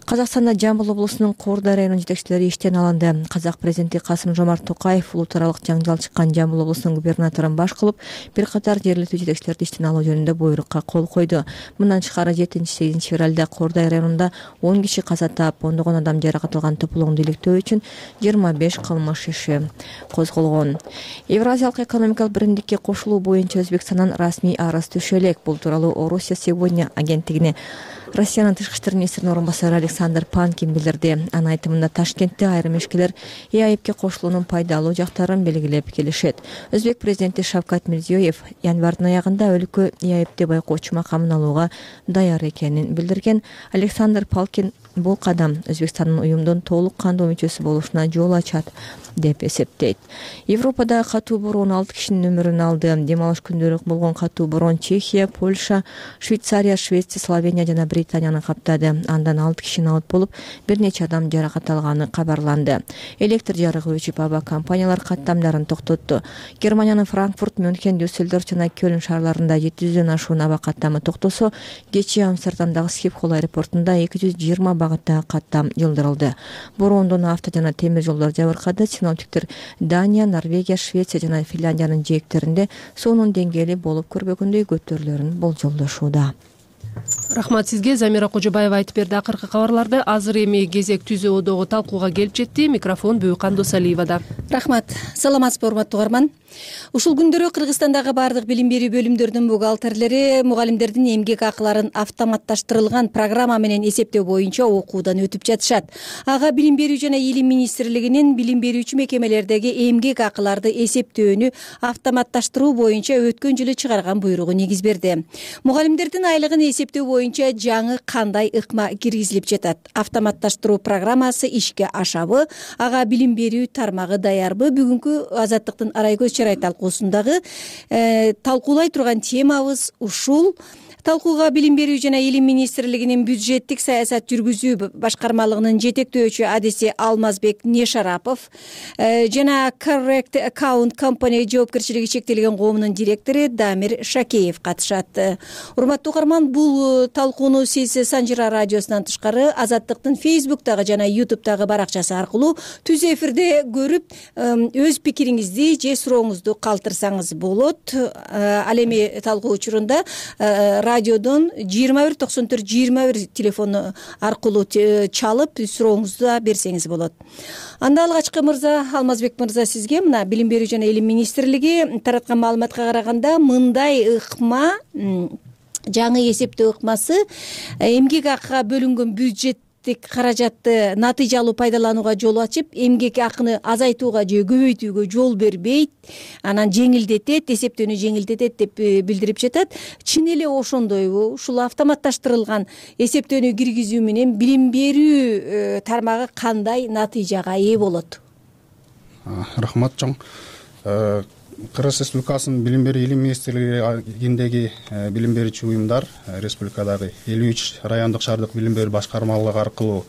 Казакстанда Жамбыл облусунун Коордай районунун жетекчилери иштен алынды. Казак президенти Касым-Жомарт Токаев улут аралык жаңжал чыккан Жамбыл облусунун губернаторун баш кылып, бир катар жергиликтүү жетекчилерди иштен алуу жөнүндө буйрукка кол койду. Мындан тышкары 7-8 февралда Коордай районунда 10 киши каза таап, ондогон адам жаракат алган тополоңду иликтөө үчүн 25 кылмыш иши козголгон. Евразиялык экономикалык биримдикке кошулуу боюнча Өзбекстандан расмий арыз түшө элек. Бул тууралуу Орусия сегодня агенттигине Россиянын тышкы иштер министринин орун басары Александр Панкин билдирди. Анын айтымында Ташкентте айрым ишкерлер ЕАЭБке кошулуунун пайдалуу жактарын белгилеп келишет. Өзбек президенти Шавкат Мирзиёев январдын аягында өлкө ЕАЭБде байкоочу макамын алууга даяр экенин билдирген. Александр Панкин бул кадам Өзбекстандын уюмдун толук кандуу мүчөсү болушуна жол ачат деп эсептейт. Европада катуу бороон 6 кишинин өмүрүн алды. Дем алыш күндөрү болгон катуу бороон Чехия, Польша, Швейцария, Швеция, Словения жана Британияны каптады. Андан 6 киши алып болуп, бир нече адам жаракат алганы кабарланды. Электр жарыгы өчүп, аба компаниялар каттамдарын токтотту. Германиянын Франкфурт, Мюнхен, Дюссельдорф жана Кёлн шаарларында 700дөн ашуун аба каттамы токтосо, кечээ Амстердамдагы Скипхол аэропортунда 220 багыттагы каттам жылдырылды. Бороондон авто жана темир жолдор жабыркады. Синоптиктер Дания, Норвегия, Швеция жана Финляндиянын жээктеринде суунун деңгээли болуп көрбөгөндөй көтөрүлөрүн болжолдошууда. Рахмат сизге, Замира Кожобаева айтып берди. Акыркы кабарларды азыр эми кезек түзөөдөгү талкууга келип жетти. Микрофон Бүйкан Досалиевада. Рахмат. Саламатсызбы урматтуу угарман. Ушул күндөрү Кыргызстандагы бардык билим берүү бөлүмдөрүнүн бухгалтерлери мугалимдердин эмгек акыларын автоматташтырылган программа менен эсептөө боюнча окуудан өтүп жатышат. Ага билим берүү жана илим министрлигинин билим берүүчү мекемелердеги эмгек акыларды эсептөөнү автоматташтыруу боюнча өткөн жылы чыгарган буйругу негиз берди. Мугалимдердин айлыгын эсептөө боюнча жаңы кандай ыкма киргизилип жатат? Автоматташтыруу программасы ишке ашабы? Ага билим берүү тармагы даярбы? Бүгүнкү Азаттыктын Арайкөз чарай талкуусундагы талкуулай турган темабыз ушул. талкууга билим берүү жана илим министрлигинин бюджеттик саясат жүргүзүү башкармалыгынын жетектөөчү адиси Алмазбек Нешарапов жана Correct Account Company жоопкерчилиги чектелген коомунун директору Дамир Шакеев катышат. Урматтуу угарман, бул талкууну сиз Санжира радиосунан тышкары Азаттыктын Facebook'тагы жана YouTube'тагы баракчасы аркылуу түз эфирде көрүп, өз пикириңизди же сурооңузду калтырсаңыз болот. Ал эми талкуу учурунда радиодон 2194-21 телефону аркылуу чалып сурооңузду да берсеңиз болот. Анда алгачкы мырза, Алмазбек мырза, сизге мына билим берүү жана илим министрлиги тараткан маалыматка караганда мындай ыкма, жаңы эсептөө ыкмасы эмгек акыга бөлүнгөн бюджеттик каражатты натыйжалуу пайдаланууга жол ачып, эмгек акыны азайтууга же көбөйтүүгө жол бербейт, анан жеңилдетет, эсептөөнү жеңилдетет деп билдирип жатат. Чын эле ошондойбу? Ушул автоматташтырылган эсептөөнү киргизүү менен билим берүү тармагы кандай натыйжага ээ болот? Рахмат чоң. Кыргыз Республикасынын билим берүү илим министрлигиндеги билим берүүчү уюмдар республикадагы 53 райондук шаардык билим берүү башкармалыгы аркылуу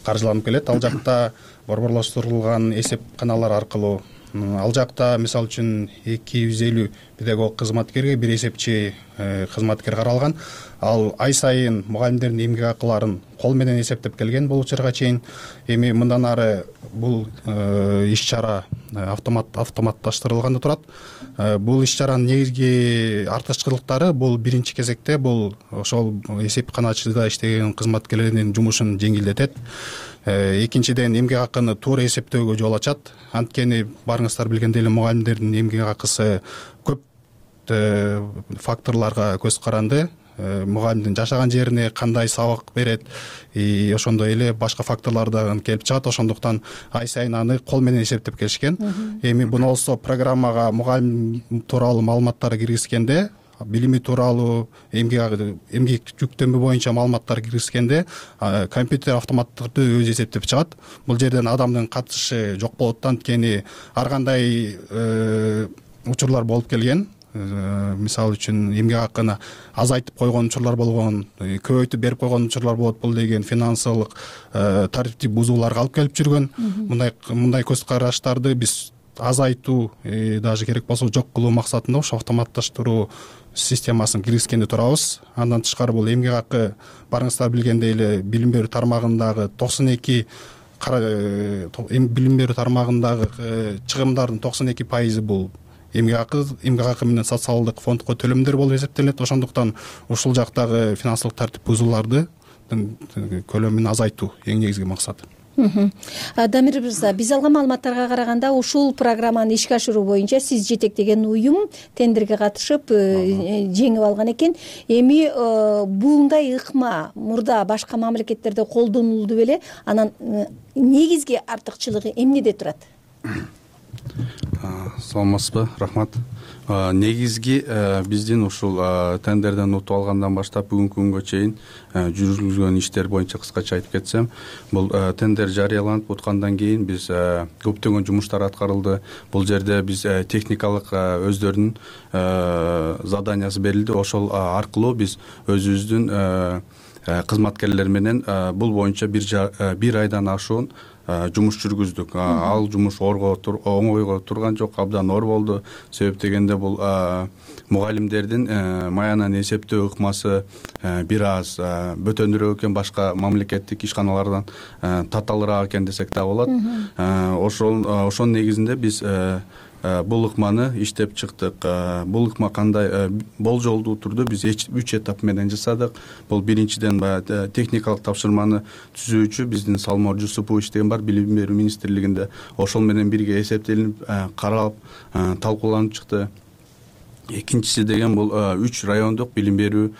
каржыланып келет. Ал жакта борборлоштурулган эсепканалар аркылуу, ал жакта мисалы үчүн 250 педагог кызматкерге бир эсепчи кызматкер каралган. Ал ай сайын мугалимдердин эмгек акыларын кол менен эсептеп келген бул учурга чейин. Эми мындан ары бул иш чара автоматташтырылганда турат. Бул иш чаранын негизги артыкчылыктары бул биринчи кезекте бул ошол эсепканачыда иштеген кызматкерлердин жумушун жеңилдетет. Экинчиден, эмгек акыны туура эсептөөгө жол ачат. Анткени барыңыздар билгендей эле мугалимдердин эмгек акысы көп факторлорго көз каранды. Мугалимдин жашаган жерине кандай сабак берет, ошондой эле башка факторлордон келип чыгат. Ошондуктан ай сайын аны кол менен эсептеп келишкен. Эми буну болсо программага мугалим тууралуу маалыматтарды киргизгенде, билими тууралуу эмгек жүктөмө боюнча маалыматтар киргизгенде компьютер автоматтуу өзү эсептеп чыгат. Бул жерден адамдын катышы жок болот. Анткени ар кандай учурлар болуп келген. Мисалы үчүн эмгек акыны азайтып койгон учурлар болгон, көбөйтүп берип койгон учурлар болот. Бул деген финансылык тарифти бузууларга алып келип жүргөн. Мындай көз караштарды биз азайтуу, даже керек болсо жок кылуу максатында ошо автоматташтыруу системасын киргизгенде турабыз. Андан тышкары бул эмгек акы барыңыздар билгендей эле билим берүү тармагындагы 92 билим берүү тармагындагы чыгымдардын 92% бул эмгек акы менен социалдык фондко төлөмдөр болуп эсептелет. Ошондуктан ушул жактагы финансылык тартип бузууларды көлөмүн азайтуу эң негизги максат. Дамир мырза, биз алган маалыматтарга караганда ушул программаны ишке ашыруу боюнча сиз жетектеген уюм тендерге катышып жеңип алган экен. Эми бундай ыкма мурда башка мамлекеттерде колдонулду беле? Анан негизги артыкчылыгы эмнеде турат? Саламатсызбы, рахмат. Негизги биздин ушул тендерден утуп алгандан баштап бүгүнкү күнгө чейин жүргүзүлгөн иштер боюнча кыскача айтып кетсем, бул тендер жарыяланып уткандан кийин биз көптөгөн жумуштар аткарылды. Бул жерде биз техникалык өздөрүнүн заданиясы берилди. Ошол аркылуу биз өзүбүздүн кызматкерлер менен бул боюнча бир айдан ашуун жумуш жүргүздүк. Ал жумуш оңойго турган жок, абдан оор болду. Себеп дегенде бул мугалимдердин маянан эсептөө ыкмасы бир аз бөтөнүрөөк экен, башка мамлекеттик ишканалардан татаалыраак экен десек да болот. Ошонун негизинде биз бул ыкманы иштеп чыктык. Бул ыкма кандай болжолдуу турду биз 3 этап менен жасадык. Бул биринчиден техникалык тапшырманы түзүүчү биздин Салмор Жусупович деген бар билим берүү министрлигинде. Ошол менен бирге эсептелип, каралып, талкууланып чыкты. Экинчиси деген бул 3 райондук билим берүү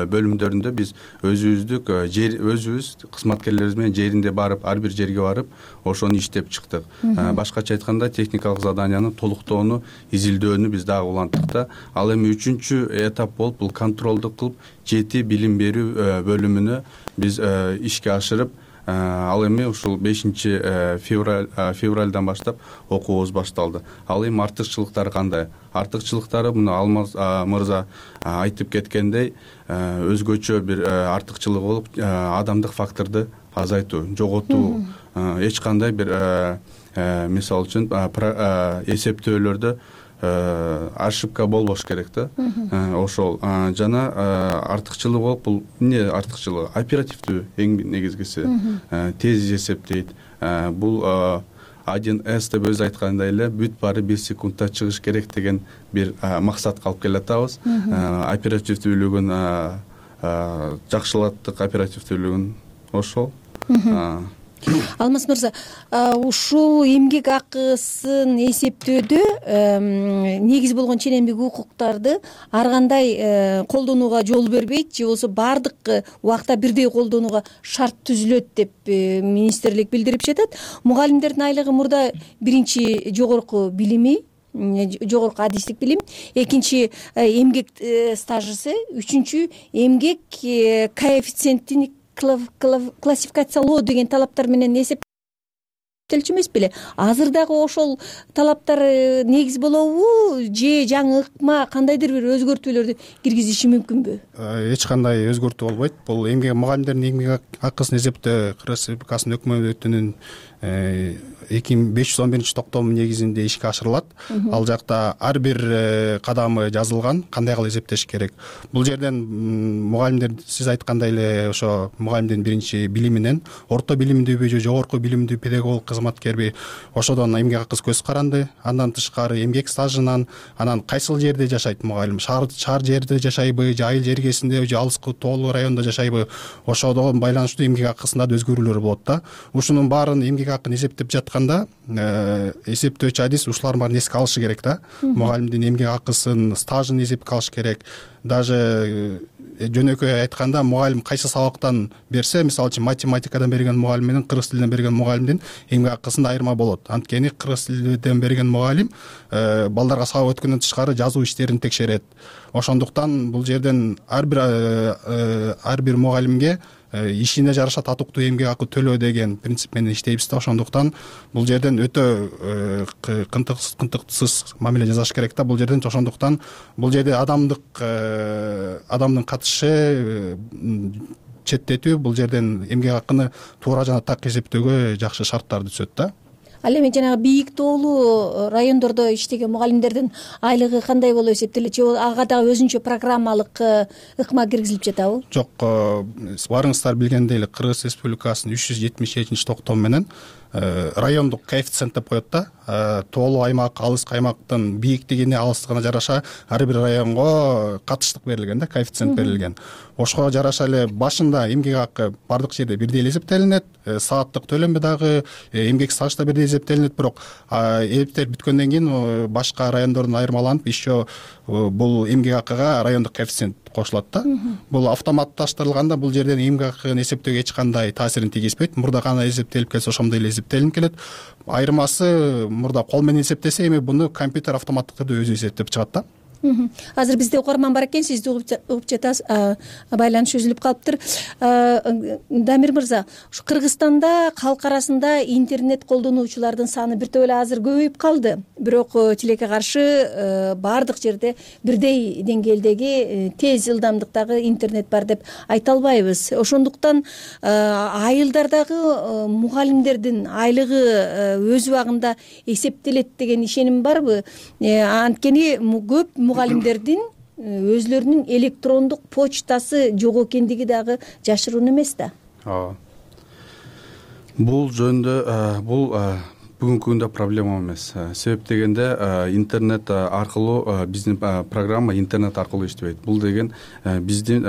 бөлүмдөрүндө биз өзүбүз кызматкерлерибиз менен жеринде барып, ар бир жерге барып, ошону иштеп чыктык. Башкача айтканда техникалык заданияны толуктоону, изилдөөнү биз дагы уланттык да. Ал эми 3-чү этап болуп, бул контролду кылып 7 билим берүү бөлүмүнө биз ишке ашырып, ал эми ушул 5 февралдан баштап окуубуз башталды. Ал эми артыкчылыктары кандай? Артыкчылыктары мына Алмаз мырза айтып кеткендей, өзгөчө бир артыкчылыгы болуп адамдык факторду азайтуу, жоготуу, эч кандай бир мисалы үчүн эсептөөлөрдө ошибка болбош керек да. Ошол жана артыкчылыгы болуп, бул эмне артыкчылыгы? Оперативдүү эң негизгиси. Тез эсептейт. Бул 1С деп өзү айткандай эле бүт баары 1 секундда чыгыш керек деген бир максатка алып келатабыз. Оперативдүүлүгүн жакшылаттык, оперативдүүлүгүн ошол. Алмаз мырза, ушул эмгек акысын эсептөөдө негиз болгон ченемдик укуктарды ар кандай колдонууга жол бербейт же болбосо баардык убакта бирдей колдонууга шарт түзүлөт деп министрлик билдирип жатат. Мугалимдердин айлыгы мурда биринчи жогорку билими, жогорку адистик билим, экинчи эмгек стажысы, үчүнчү эмгек коэффициентин классификациялоо деген талаптар менен эсептелчү эмес беле? Азыр дагы ошол талаптар негиз болобу же жаңы ыкма кандайдыр бир өзгөртүүлөрдү киргизиши мүмкүнбү? Эч кандай өзгөртүү болбойт. Бул мугалимдердин эмгек акысын эсептөө Кыргыз Республикасынын өкмөтүнүн 2511 токтому негизинде ишке ашырылат. Ал жакта ар бир кадамы жазылган, кандай кылып эсептеш керек. Бул жерден мугалимдер сиз айткандай эле ошо мугалимдин биринчи билиминен орто билимдүүбү же жогорку билимдүү педагог кызматкерби ошодон эмгек акысы көз каранды. Андан тышкары эмгек стажынан, анан кайсыл жерде жашайт мугалим, шаар жерде жашайбы же айыл жергесинде же алыскы тоолуу райондо жашайбы, ошодон байланыштуу эмгек акысында да өзгөрүүлөр болот да. Ушунун баарын эмгек акын эсептеп жатканда эсептөөчү адис ушулардын баарын эске алышы керек да. Мугалимдин эмгек акысын, стажын эсепке алыш керек. Даже жөнөкөй айтканда мугалим кайсы сабактан берсе, мисалы үчүн математикадан берген мугалим менен кыргыз тилинен берген мугалимдин эмгек акысында айырма болот. Анткени кыргыз тилинен берген мугалим балдарга сабак өткөндөн тышкары жазуу иштерин текшерет. Ошондуктан бул жерден ар бир мугалимге ишине жараша татыктуу эмгек акы төлөө деген принцип менен иштейбиз да. Ошондуктан бул жерден өтө кынтыксыз мамиле жасаш керек да. Бул жерден ошондуктан бул жерде адамдын катышы четтетүү, бул жерден эмгек акыны туура жана так эсептөөгө жакшы шарттарды түзөт да. Ал эми жанагы бийик тоолуу райондордо иштеген мугалимдердин айлыгы кандай болуп эсептелет? Же ага дагы өзүнчө программалык ыкма киргизилип жатабы? Жок, баарыңыздар билгендей эле Кыргыз Республикасынын 377 токтому менен райондук коэффициент деп коет да. Тоолуу аймак, алыскы аймактын бийиктигине, алыстыгына жараша ар бир районго катыштык берилген да, коэффициент берилген. Ошого жараша эле башында эмгек акы бардык жерде бирдей эле эсептелинет, сааттык төлөмү дагы эмгек стаж да бирдей эсептелинет, бирок эсептелип бүткөндөн кийин башка райондордон айырмаланып еще бул эмгек акыга райондук коэффициент кошулат да. Бул автоматташтырылганда бул жерден эмгек акыны эсептөөгө эч кандай таасирин тийгизбейт. Мурда кандай эсептелип келсе ошондой эле эсептелинип келет. Айырмасы мурда кол менен эсептесе, эми буну компьютер автоматтык түрдө өзү эсептеп чыгат да. Азыр бизде угарман бар экен, сизди угуп жатабыз, байланыш үзүлүп калыптыр. Дамир мырза, ушу Кыргызстанда калк арасында интернет колдонуучулардын саны бир топ эле азыр көбөйүп калды. Бирок тилекке каршы баардык жерде бирдей деңгээлдеги тез ылдамдыктагы интернет бар деп айта албайбыз. Ошондуктан айылдардагы мугалимдердин айлыгы өз убагында эсептелет деген ишеним барбы? Анткени көп мугалимдердин өзлөрүнүн электрондук почтасы жок экендиги дагы жашыруун эмес да. Бул жөнүндө бул бүгүнкү күндө проблема эмес. Себеп дегенде интернет аркылуу биздин программа интернет аркылуу иштебейт. Бул деген биздин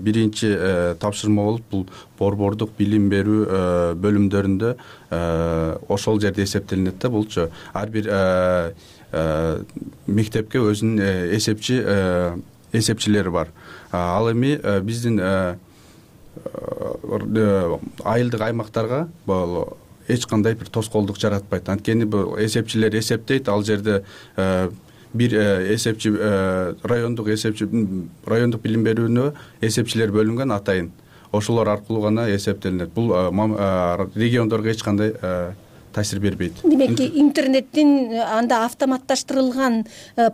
биринчи тапшырма болуп, бул борбордук билим берүү бөлүмдөрүндө ошол жерде эсептелинет да. Булчу ар бир мектепке өзүнүн эсепчилери бар. Ал эми биздин айылдык аймактарга эч кандай бир тоскоолдук жаратпайт. Анткени бул эсепчилер эсептейт, ал жерде бир эсепчи райондук билим берүүнө эсепчилер бөлүнгөн атайын. ошолор аркылуу гана эсептелинет. Бул региондорго эч кандай таасир бербейт. Демек интернеттин анда автоматташтырылган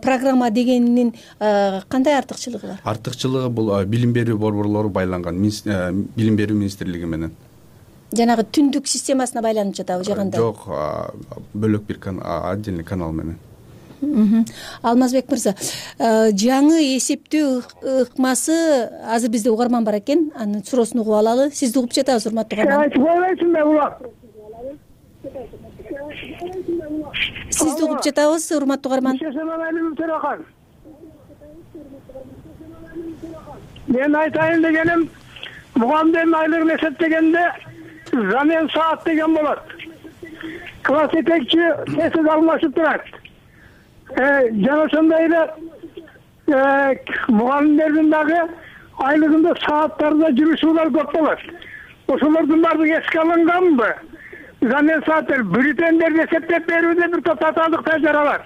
программа дегенинин кандай артыкчылыгы бар? Артыкчылыгы бул билим берүү борборлору байланган билим берүү министрлиги менен. Жанагы түндүк системасына байланып жатабы же кандай? Жок, бөлөк бир отдельный канал менен. Алмазбек мырза, жаңы эсептөө ыкмасы азыр бизде угарман бар экен, анын суроосун угуп алалы. Сизди угуп жатабыз, урматтуу угарман. Сизди угуп жатабыз, урматтуу угарман. Мен айтайын дегеним, мугалимдердин айлыгын эсептегенде замен саат деген болот. Класс жетекчи тесиз алмашып турат. Жана ошондой эле мугалимдердин дагы айлыгында сааттарда жүрүшүүлөр көп болот. Ошолордун баардыгы эске алынганбы? Замен сааттар бюллетендерди эсептеп берүүдө бир топ татаалыктар жаралат.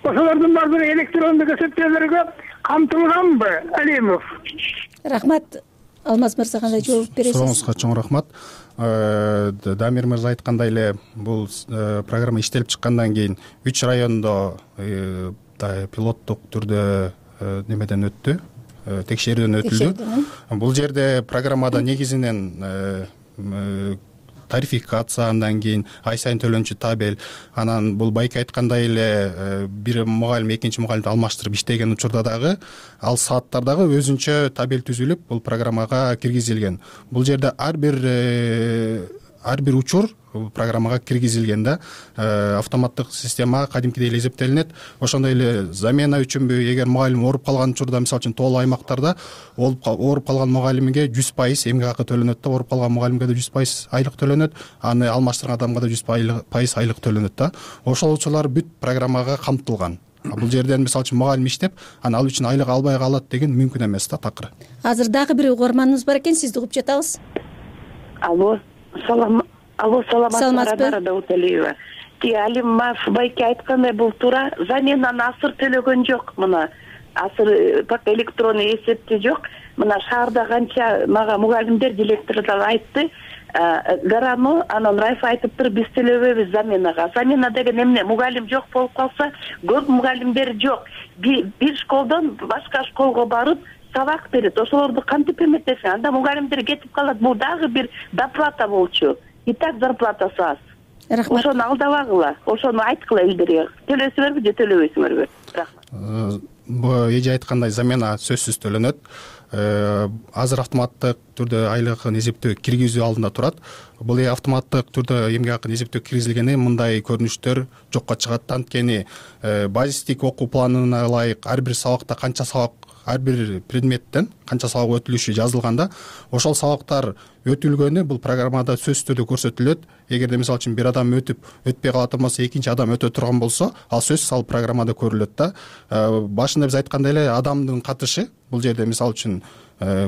Ошолордун баардыгы электрондук эсептөөлөргө камтылганбы, Алимов? Рахмат. Алмаз мырза кандай жооп бересиз? Сурооңузга чоң рахмат. Дамир мырза айткандай эле бул программа иштелип чыккандан кийин 3 райондо пилоттук түрдө немеден өттү, текшерүүдөн өтүлдү. Бул жерде программада негизинен тарификация, андан кийин ай сайын төлөнчү табель, анан бул байке айткандай эле бир мугалим экинчи мугалимди алмаштырып иштеген учурда дагы ал сааттар дагы өзүнчө табель түзүлүп бул программага киргизилген. Бул жерде ар бир учур программага киргизилген да, автоматтык система кадимкидей эле эсептелинет. Ошондой эле замена үчүнбү, эгер мугалим ооруп калган учурда, мисалы үчүн тоолуу аймактарда ооруп калган мугалимге 100% эмгек акы төлөнөт да, ооруп калган мугалимге да 100% айлык төлөнөт, аны алмаштырган адамга да 100% айлык төлөнөт да. Ошол учурлар бүт программага камтылган. Бул жерден мисалы үчүн мугалим иштеп, анан ал үчүн айлык албай калат деген мүмкүн эмес да, такыр. Азыр дагы бир угарманыбыз бар экен, сизди угуп жатабыз. Алло, саламатсыздарбы? Дауталиева. Алим байке айткандай бул туура. Заменаны асыр төлөгөн жок. Мына асыр пак электронный эсепти жок. Мына шаарда канча мага мугалимдер, директорлор айтты. Гараны анан Райф айтыптыр, биз төлөбөйбүз заменага. Замена деген эмне? Мугалим жок болуп калса, көп мугалимдер жок. Бир школдон башка школго барып сабак берет. Ошолорду кантип эметесиң? Анда мугалимдер кетип калат. Бул дагы бир доплата болчу. И так зарплатасы аз. Рахмат. Ошону алдабагыла, ошону айткыла элдерге. Төлөсүңөрбү же төлөбөйсүңөрбү? Рахмат. Эже айткандай замена сөзсүз төлөнөт. Азыр автоматтык түрдө айлыгын эсептөө киргизүү алдында турат. Бул автоматтык түрдө эмгек акын эсептөө киргизилгенде мындай көрүнүштөр жокко чыгат. Анткени базистик окуу планына ылайык ар бир сабакта канча сабак, ар бир предметтен канча сабак өтүлүшү жазылганда, ошол сабактар өтүлгөнү бул программада сөзсүз түрдө көрсөтүлөт. Эгерде мисалы үчүн бир адам өтпөй калат болсо, экинчи адам өтө турган болсо, ал сөзсүз ал программада көрүлөт да. Башында биз айткандай эле адамдын катышы бул жерде мисалы үчүн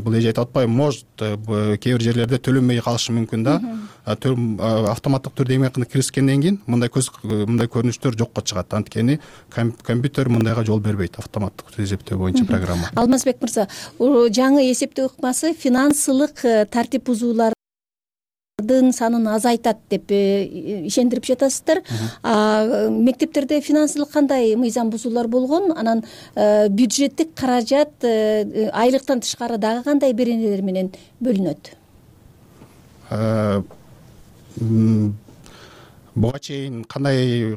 бул эже айтып атпайбы, может кээ бир жерлерде төлөнбөй калышы мүмкүн да. Автоматтык түрдө эмгек акыны киргизгенден кийин мындай көрүнүштөр жокко чыгат. Анткени компьютер мындайга жол бербейт, автоматтык түрдө эсептөө боюнча программа. Алмазбек мырза, жаңы эсептөө ыкмасы финансылык тартип бузуулардын санын азайтат деп ишендирип жатасыздар. Мектептерде финансылык кандай мыйзам бузуулар болгон? Анан бюджеттик каражат айлыктан тышкары дагы кандай беренелер менен бөлүнөт? Буга чейин кандай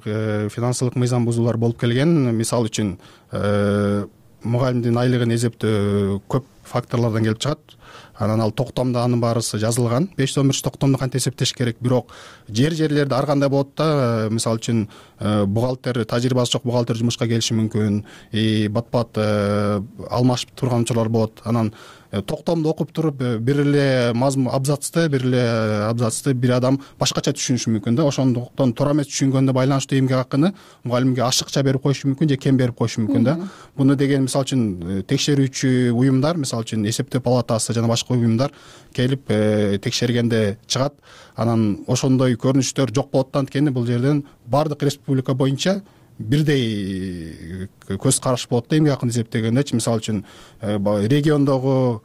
финансылык мыйзам бузуулар болуп келген? Мисалы үчүн мугалимдин айлыгын эсептөө көп факторлордон келип чыгат. Анан ал токтомдо анын баарысы жазылган. 511 токтомдо кантип эсептеш керек, бирок жерлерде ар кандай болот да. Мисалы үчүн бухгалтер, тажрыйбасы жок бухгалтер жумушка келиши мүмкүн. Бат-бат алмашып турган учурлар болот. Анан токтомду окуп туруп бир эле абзацты бир адам башкача түшүнүшү мүмкүн да. Ошондуктан туура эмес түшүнгөндө байланыштуу эмгек акыны мугалимге ашыкча берип коюшу мүмкүн же кем берип коюшу мүмкүн да. Буну деген мисалы үчүн текшерүүчү уюмдар, мисалы үчүн эсептөө палатасы жана башка уюмдар келип текшергенде чыгат. Анан ошондой көрүнүштөр жок болот. Анткени бул жерден баардык республика боюнча бирдей көз караш болот да эмгек акын эсептегендечи. Мисалы үчүн региондогу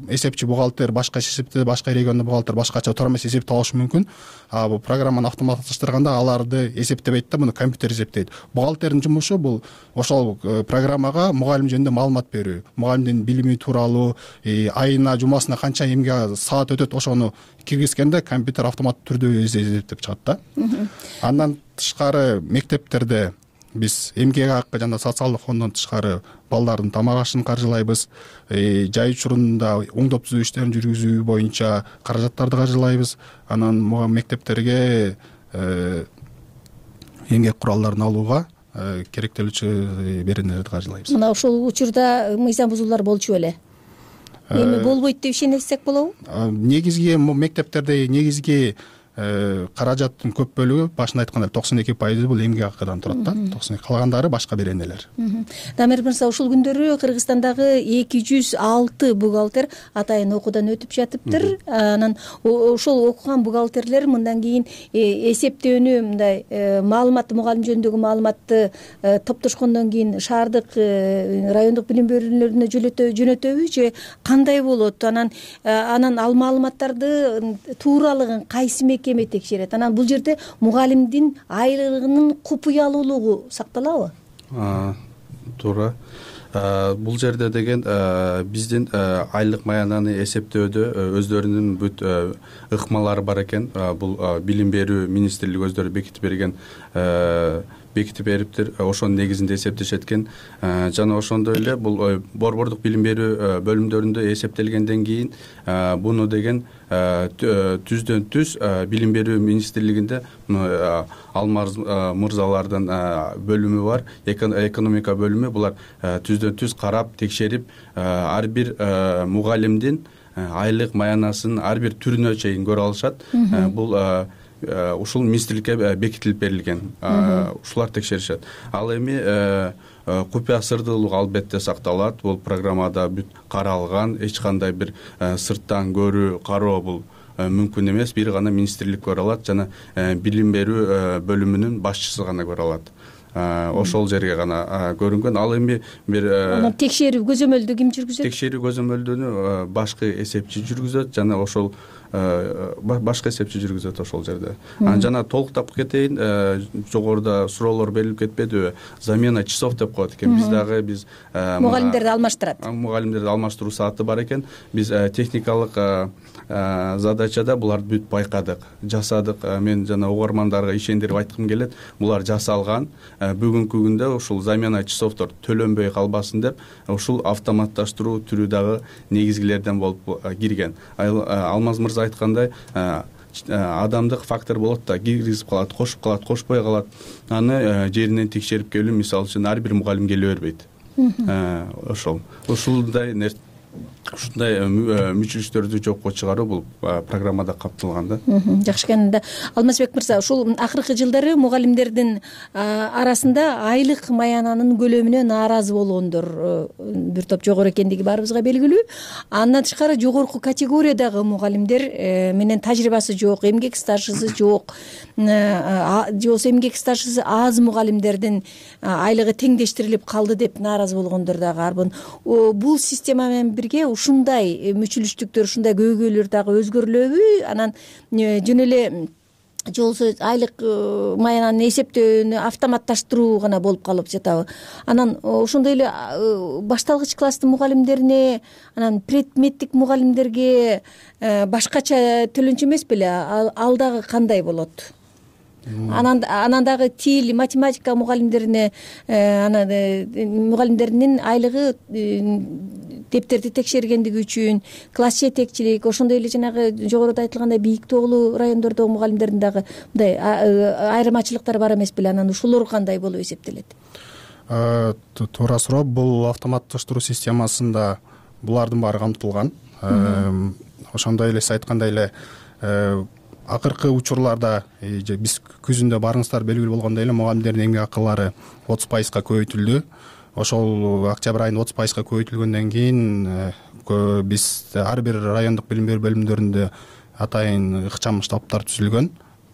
эсепчи бухгалтер башка эсептеде, башка региондо бухгалтер башкача туура эмес эсепти алышы мүмкүн. А бул программаны автоматташтырганда аларды эсептебейт да, муну компьютер эсептейт. Бухгалтердин жумушу бул ошол программага мугалим жөнүндө маалымат берүү, мугалимдин билими тууралуу, айына жумасына канча эмгек саат өтөт, ошону киргизгенде компьютер автоматтуу түрдө эсептеп чыгат да. Андан тышкары мектептерде биз эмгек акы жана социалдык фонддон тышкары балдардын тамак ашын каржылайбыз. Жай учурунда оңдоп түзүү иштерин жүргүзүү боюнча каражаттарды каржылайбыз. Анан мектептерге эмгек куралдарын алууга керектелүүчү беренелерди каржылайбыз. Мына ошол учурда мыйзам бузуулар болчу беле? Эми болбойт деп ишенсек болобу? Негизги мектептерде негизги каражаттын көп бөлүгү башында айткандай 92% бул эмгек акыдан турат да. 92, калгандары башка беренелер. Дамир мырза, ушул күндөрү Кыргызстандагы 206 бухгалтер атайын окуудан өтүп жатыптыр. Анан ошол окуган бухгалтерлер мындан кийин эсептөөнү, мындай маалымат, мугалим жөнүндөгү маалыматты топтошкондон кийин шаардык, райондук билим берүүлөрүнө жөнөтөбү же кандай болот? Анан ал маалыматтарды тууралыгын кайсы мекеме текшерет? Анан бул жерде мугалимдин айлыгынын купуялуулугу сакталабы? Туура. Бул жерде деген биздин айлык маянаны эсептөөдө өздөрүнүн бүт ыкмалары бар экен. Бул билим берүү министрлиги өздөрү бекитип бериптир. Ошонун негизинде эсептешет экен. Жана ошондой эле бул борбордук билим берүү бөлүмдөрүндө эсептелгенден кийин буну деген түздөн түз билим берүү министрлигинде Алмаз мырзалардын бөлүмү бар, экономика бөлүмү. Булар түздөн түз карап, текшерип, ар бир мугалимдин айлык маянасын ар бир түрүнө чейин көрө алышат. Бул ушул министрликке бекитилип берилген. Ушулар текшеришет. Ал эми купуя сырдуулук албетте сакталат. Бул программада бүт каралган, эч кандай бир сырттан көрүү, кароо бул мүмкүн эмес. Бир гана министрлик көрө алат жана билим берүү бөлүмүнүн башчысы гана көрө алат. Ошол жерге гана көрүнгөн. Ал эми бир текшерүү көзөмөлдү ким жүргүзөт? Текшерүү көзөмөлдүнү башкы эсепчи жүргүзөт жана ошол башка эсепчи жүргүзөт ошол жерде. Жана толуктап кетейин, жогоруда суроолор берилип кетпедиби? Замена часов деп коет экен. Биз дагы мугалимдерди алмаштырат. Мугалимдерди алмаштыруу сааты бар экен. Биз техникалык задачада буларды бүт байкадык, жасадык. Мен жана угармандарга ишендирип айткым келет. Булар жасалган. Бүгүнкү күндө ушул замена часовдор төлөнбөй калбасын деп, ушул автоматташтыруу түрү дагы негизгилерден болуп кирген. Алмаз мырза айткандай, адамдык фактор болот да, киргизип калат, кошуп калат, кошпой калат. Аны жеринен текшерип келүү, мисалы үчүн ар бир мугалим келе бербейт. Ушундай мүчүлүштөрдү жокко чыгаруу бул программада капталган да. Жакшы экен. Алмазбек мырза, ушул акыркы жылдары мугалимдердин арасында айлык маянанын көлөмүнө нааразы болгондор бир топ жогору экендиги баарыбызга белгилүү. Андан тышкары жогорку категориядагы мугалимдер менен тажрыйбасы жок, эмгек стажысы жок, же болбосо эмгек стажысы аз мугалимдердин айлыгы теңдештирилип калды деп нааразы болгондор дагы арбын. Бул система менен бирге ушундай мүчүлүштүктөр, ушундай көйгөйлөр дагы өзгөрүлөбү? Анан жөн эле же болбосо айлык маянаны эсептөөнү автоматташтыруу гана болуп калып жатабы? Анан ошондой эле башталгыч класстын мугалимдерине, анан предметтик мугалимдерге башкача төлөнчү эмес беле? Ал дагы кандай болот? Анан дагы тил, математика мугалимдерине, мугалимдеринин айлыгы дептерди текшергендиги үчүн, класс жетекчилик, ошондой эле жанагы жогоруда айтылгандай бийик тоолуу райондордогу мугалимдердин дагы мындай айырмачылыктары бар эмес беле? Анан ушулор кандай болуп эсептелет? Туура суроо. Бул автоматташтыруу системасында булардын баары камтылган. Ошондой эле сиз айткандай эле акыркы учурларда биз күзүндө барыңыздар белгилүү болгондой эле мугалимдердин эмгек акылары 30% көбөйтүлдү. Ошол октябрь айында 30% көбөйтүлгөндөн кийин биз ар бир райондук билим берүү бөлүмдөрүндө атайын ыкчам штабтар түзүлгөн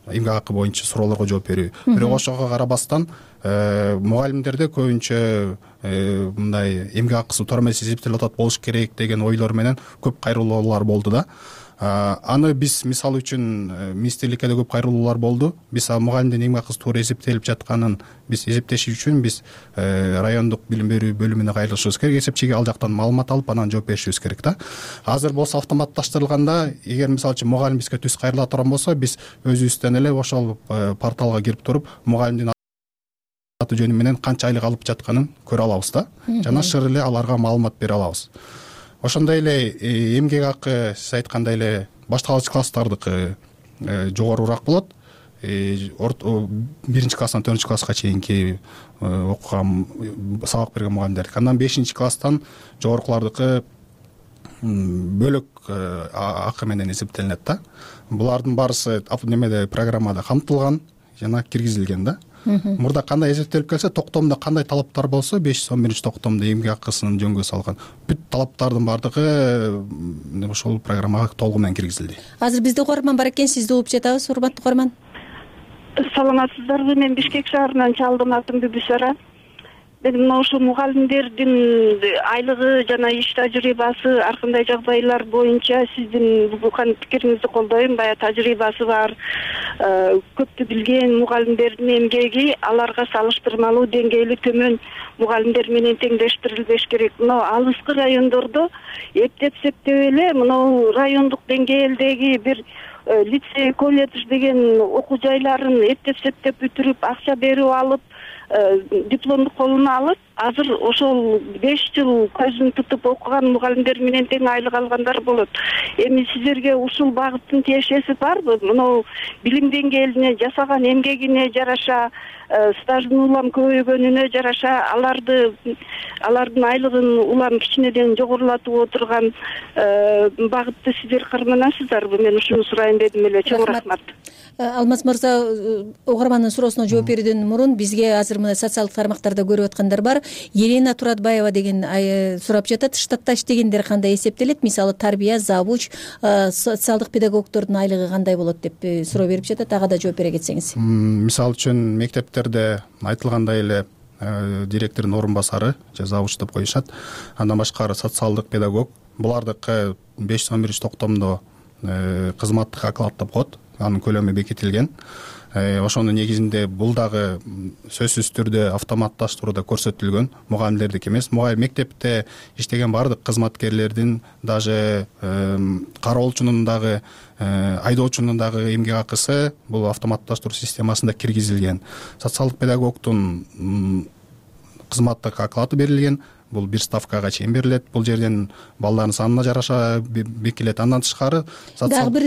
эмгек акы боюнча суроолорго жооп берүү. Бирок ошого карабастан мугалимдерде көбүнчө мындай эмгек акысы туура эмес эсептелип атат болуш керек деген ойлор менен көп кайрылуулар болду да. Аны биз мисалы үчүн министрликке да көп кайрылуулар болду. Биз мугалимдин эмгек акысы туура эсептелип жатканын биз эсептеш үчүн биз райондук билим берүү бөлүмүнө кайрылышыбыз керек, эсепчиге ал жактан маалымат алып анан жооп беришибиз керек да. Азыр болсо автоматташтырылганда, эгер мисалы үчүн мугалим бизге түз кайрыла турган болсо, биз өзүбүздөн эле ошол порталга кирип туруп мугалимдин аты жөнү менен канча айлык алып жатканын көрө алабыз да. Жана шыр эле аларга маалымат бере алабыз. Ошондой эле эмгек акы сиз айткандай эле башталгыч класстардыкы жогорураак болот. 1 класстан 4 класска чейинки окуган, сабак берген мугалимдердики. Андан 5 класстан жогорукулардыкы бөлөк акы менен эсептелинет да. Булардын баарысы немеде программада камтылган жана киргизилген да. Мурда кандай эсептелип келсе, токтомдо кандай талаптар болсо, 511 токтомдо эмгек акысын жөнгө салган бүт талаптардын баардыгы ошол программага толугу менен киргизилди. Азыр бизде угарман бар экен, сизди угуп жатабыз, урматтуу угарман. Саламатсыздарбы? Мен Бишкек шаарынан чалдым, атым Бүбүсара. Мен мына ушул мугалимдердин айлыгы жана иш тажрыйбасы ар кандай жагдайлар боюнча сиздин бүгүнкү пикириңизди колдойм. Баягы тажрыйбасы бар, көптү билген мугалимдердин эмгеги аларга салыштырмалуу деңгээли төмөн мугалимдер менен теңдештирилбеш керек. Мына алыскы райондордо эптеп эле мына райондук деңгээлдеги бир лицей, колледж деген окуу жайларын эптеп бүтүрүп, акча берип алып, дипломду колуна алып, азыр ошол 5 жыл көзүн тутуп окуган мугалимдер менен тең айлык алгандар болот. Эми сиздерге ушул багыттын тиешеси барбы? Мына билим деңгээлине, жасаган эмгегине жараша, стаждын улам көбөйгөнүнө жараша алардын айлыгын улам кичинеден жогорулатып отурган багытты сиздер карманасыздарбы? Мен ушуну сурайын дедим эле. Чоң рахмат. Алмаз мырза, угармандын суроосуна жооп берүүдөн мурун бизге азыр мына социалдык тармактарда көрүп аткандар бар. Елена Туратбаева деген сурап жатат, штатта иштегендер кандай эсептелет? Мисалы тарбия, завуч, социалдык педагогдордун айлыгы кандай болот деп суроо берип жатат. Ага да жооп бере кетсеңиз. Мисалы үчүн мектептерде айтылгандай эле директордун орун басары же завуч деп коюшат. Андан башкары социалдык педагог. Булардыкы 511 токтомдо кызматтык оклад деп коет. Анын көлөмү бекитилген. Ошонун негизинде бул дагы сөзсүз түрдө автоматташтырууда көрсөтүлгөн, мугалимдердики эмес. Мугалим мектепте иштеген баардык кызматкерлердин, даже кароолчунун дагы, айдоочунун дагы эмгек акысы бул автоматташтыруу системасында киргизилген. Социалдык педагогдун кызматтык оклады берилген. Бул бир ставкага чейин берилет. Бул жерден балдардын санына жараша бекилет. Андан тышкары дагы бир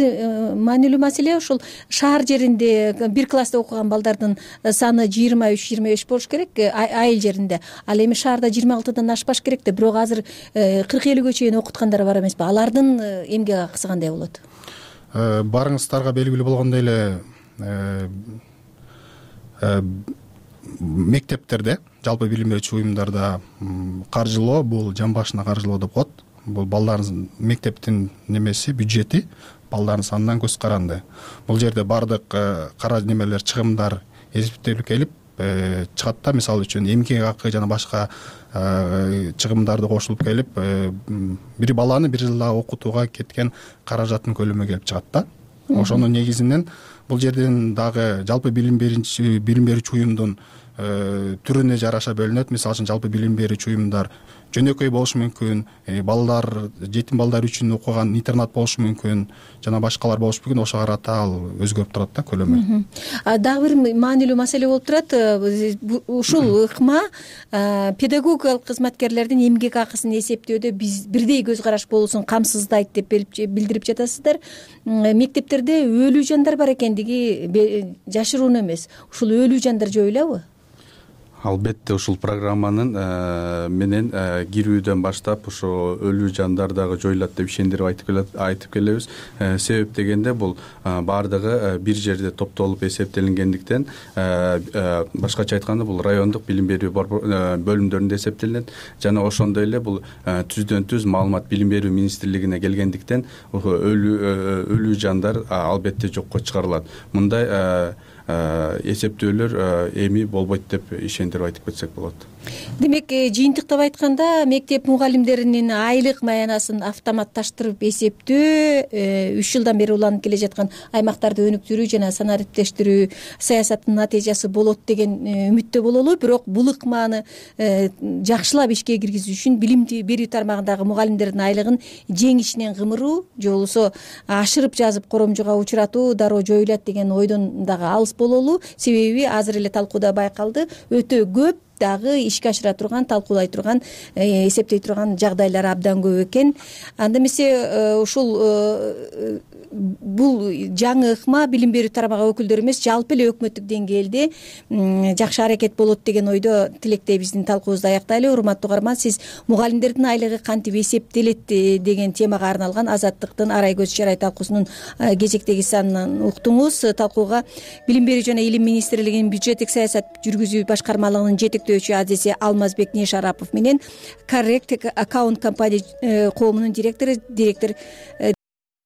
маанилүү маселе, ушул шаар жеринде бир класста окуган балдардын саны 23-25 болуш керек айыл жеринде. Ал эми шаарда 26-дан ашпаш керек да, бирок азыр 40-50гө чейин окуткандар бар эмеспи? Алардын эмгек акысы кандай болот? Барыңыздарга белгилүү болгондой эле мектептерде, жалпы билим берүүчү уюмдарда каржылоо, бул жан башына каржылоо деп коет. Бул балдардын мектептин немеси, бюджети балдардын санынан көз каранды. Бул жерде баардык немелер, чыгымдар эсептелип келип чыгат да. Мисалы үчүн эмгек акы жана башка чыгымдарды кошулуп келип, бир баланы бир жылда окутууга кеткен каражаттын көлөмү келип чыгат да. Ошонун негизинен бул жерден дагы жалпы билим берүүчү уюмдун түрүнө жараша бөлүнөт. Мисалы үчүн жалпы билим берүүчү уюмдар жөнөкөй болушу мүмкүн, балдар, жетим балдар үчүн окуган интернат болушу мүмкүн, жана башкалар болушу мүмкүн. Ошого карата ал өзгөрүп турат да көлөмү. Дагы бир маанилүү маселе болуп турат. Ушул ыкма педагогикалык кызматкерлердин эмгек акысын эсептөөдө бирдей көз караш болуусун камсыздайт деп билдирип жатасыздар. Мектептерде өлүү жандар бар экендиги жашыруун эмес. Ушул өлүү жандар жоюлабы? Албетте ушул программанын менен кирүүдөн баштап ошо өлүү жандар дагы жоюлат деп ишендирип айтып келебиз. Себеп дегенде бул баардыгы бир жерде топтолуп эсептелингендиктен, башкача айтканда бул райондук билим берүү бөлүмдөрүндө эсептелинет. Жана ошондой эле бул түздөн түз маалымат билим берүү министрлигине келгендиктен өлүү жандар албетте жокко чыгарылат. Мындай эсептөөлөр эми болбойт деп ишендирип айтып кетсек болот. Демек, жыйынтыктап айтканда мектеп мугалимдеринин айлык маянасын автоматташтырып эсептөө 3 жылдан бери уланып келе жаткан аймактарды өнүктүрүү жана санариптештирүү саясатынын натыйжасы болот деген үмүттө бололу. Бирок бул ыкманы жакшылап ишке киргизүү үчүн билим берүү тармагындагы мугалимдердин айлыгын жең ичинен кымыруу же болбосо ашырып жазып коромжуга учуратуу дароо жоюлат деген ойдон дагы алыс бололу. Себеби азыр эле талкууда байкалды, өтө көп дагы ишке ашыра турган, талкуулай турган, эсептей турган жагдайлар абдан көп экен. Анда эмесе ушул бул жаңы ыкма билим берүү тармагы өкүлдөрү эмес, жалпы эле өкмөттүк деңгээлде жакшы аракет болот деген ойдо тилектей биздин талкуубузду аяктайлы. Урматтуу угарман, сиз мугалимдердин айлыгы кантип эсептелет деген темага арналган Азаттыктын Арай көз чарай талкуусунун кезектеги санын уктуңуз. Талкууга Билим берүү жана илим министрлигинин бюджеттик саясат жүргүзүү башкармалыгынын жетектөөчү адиси Алмазбек Нешарапов менен Correct Account компания коомунун директору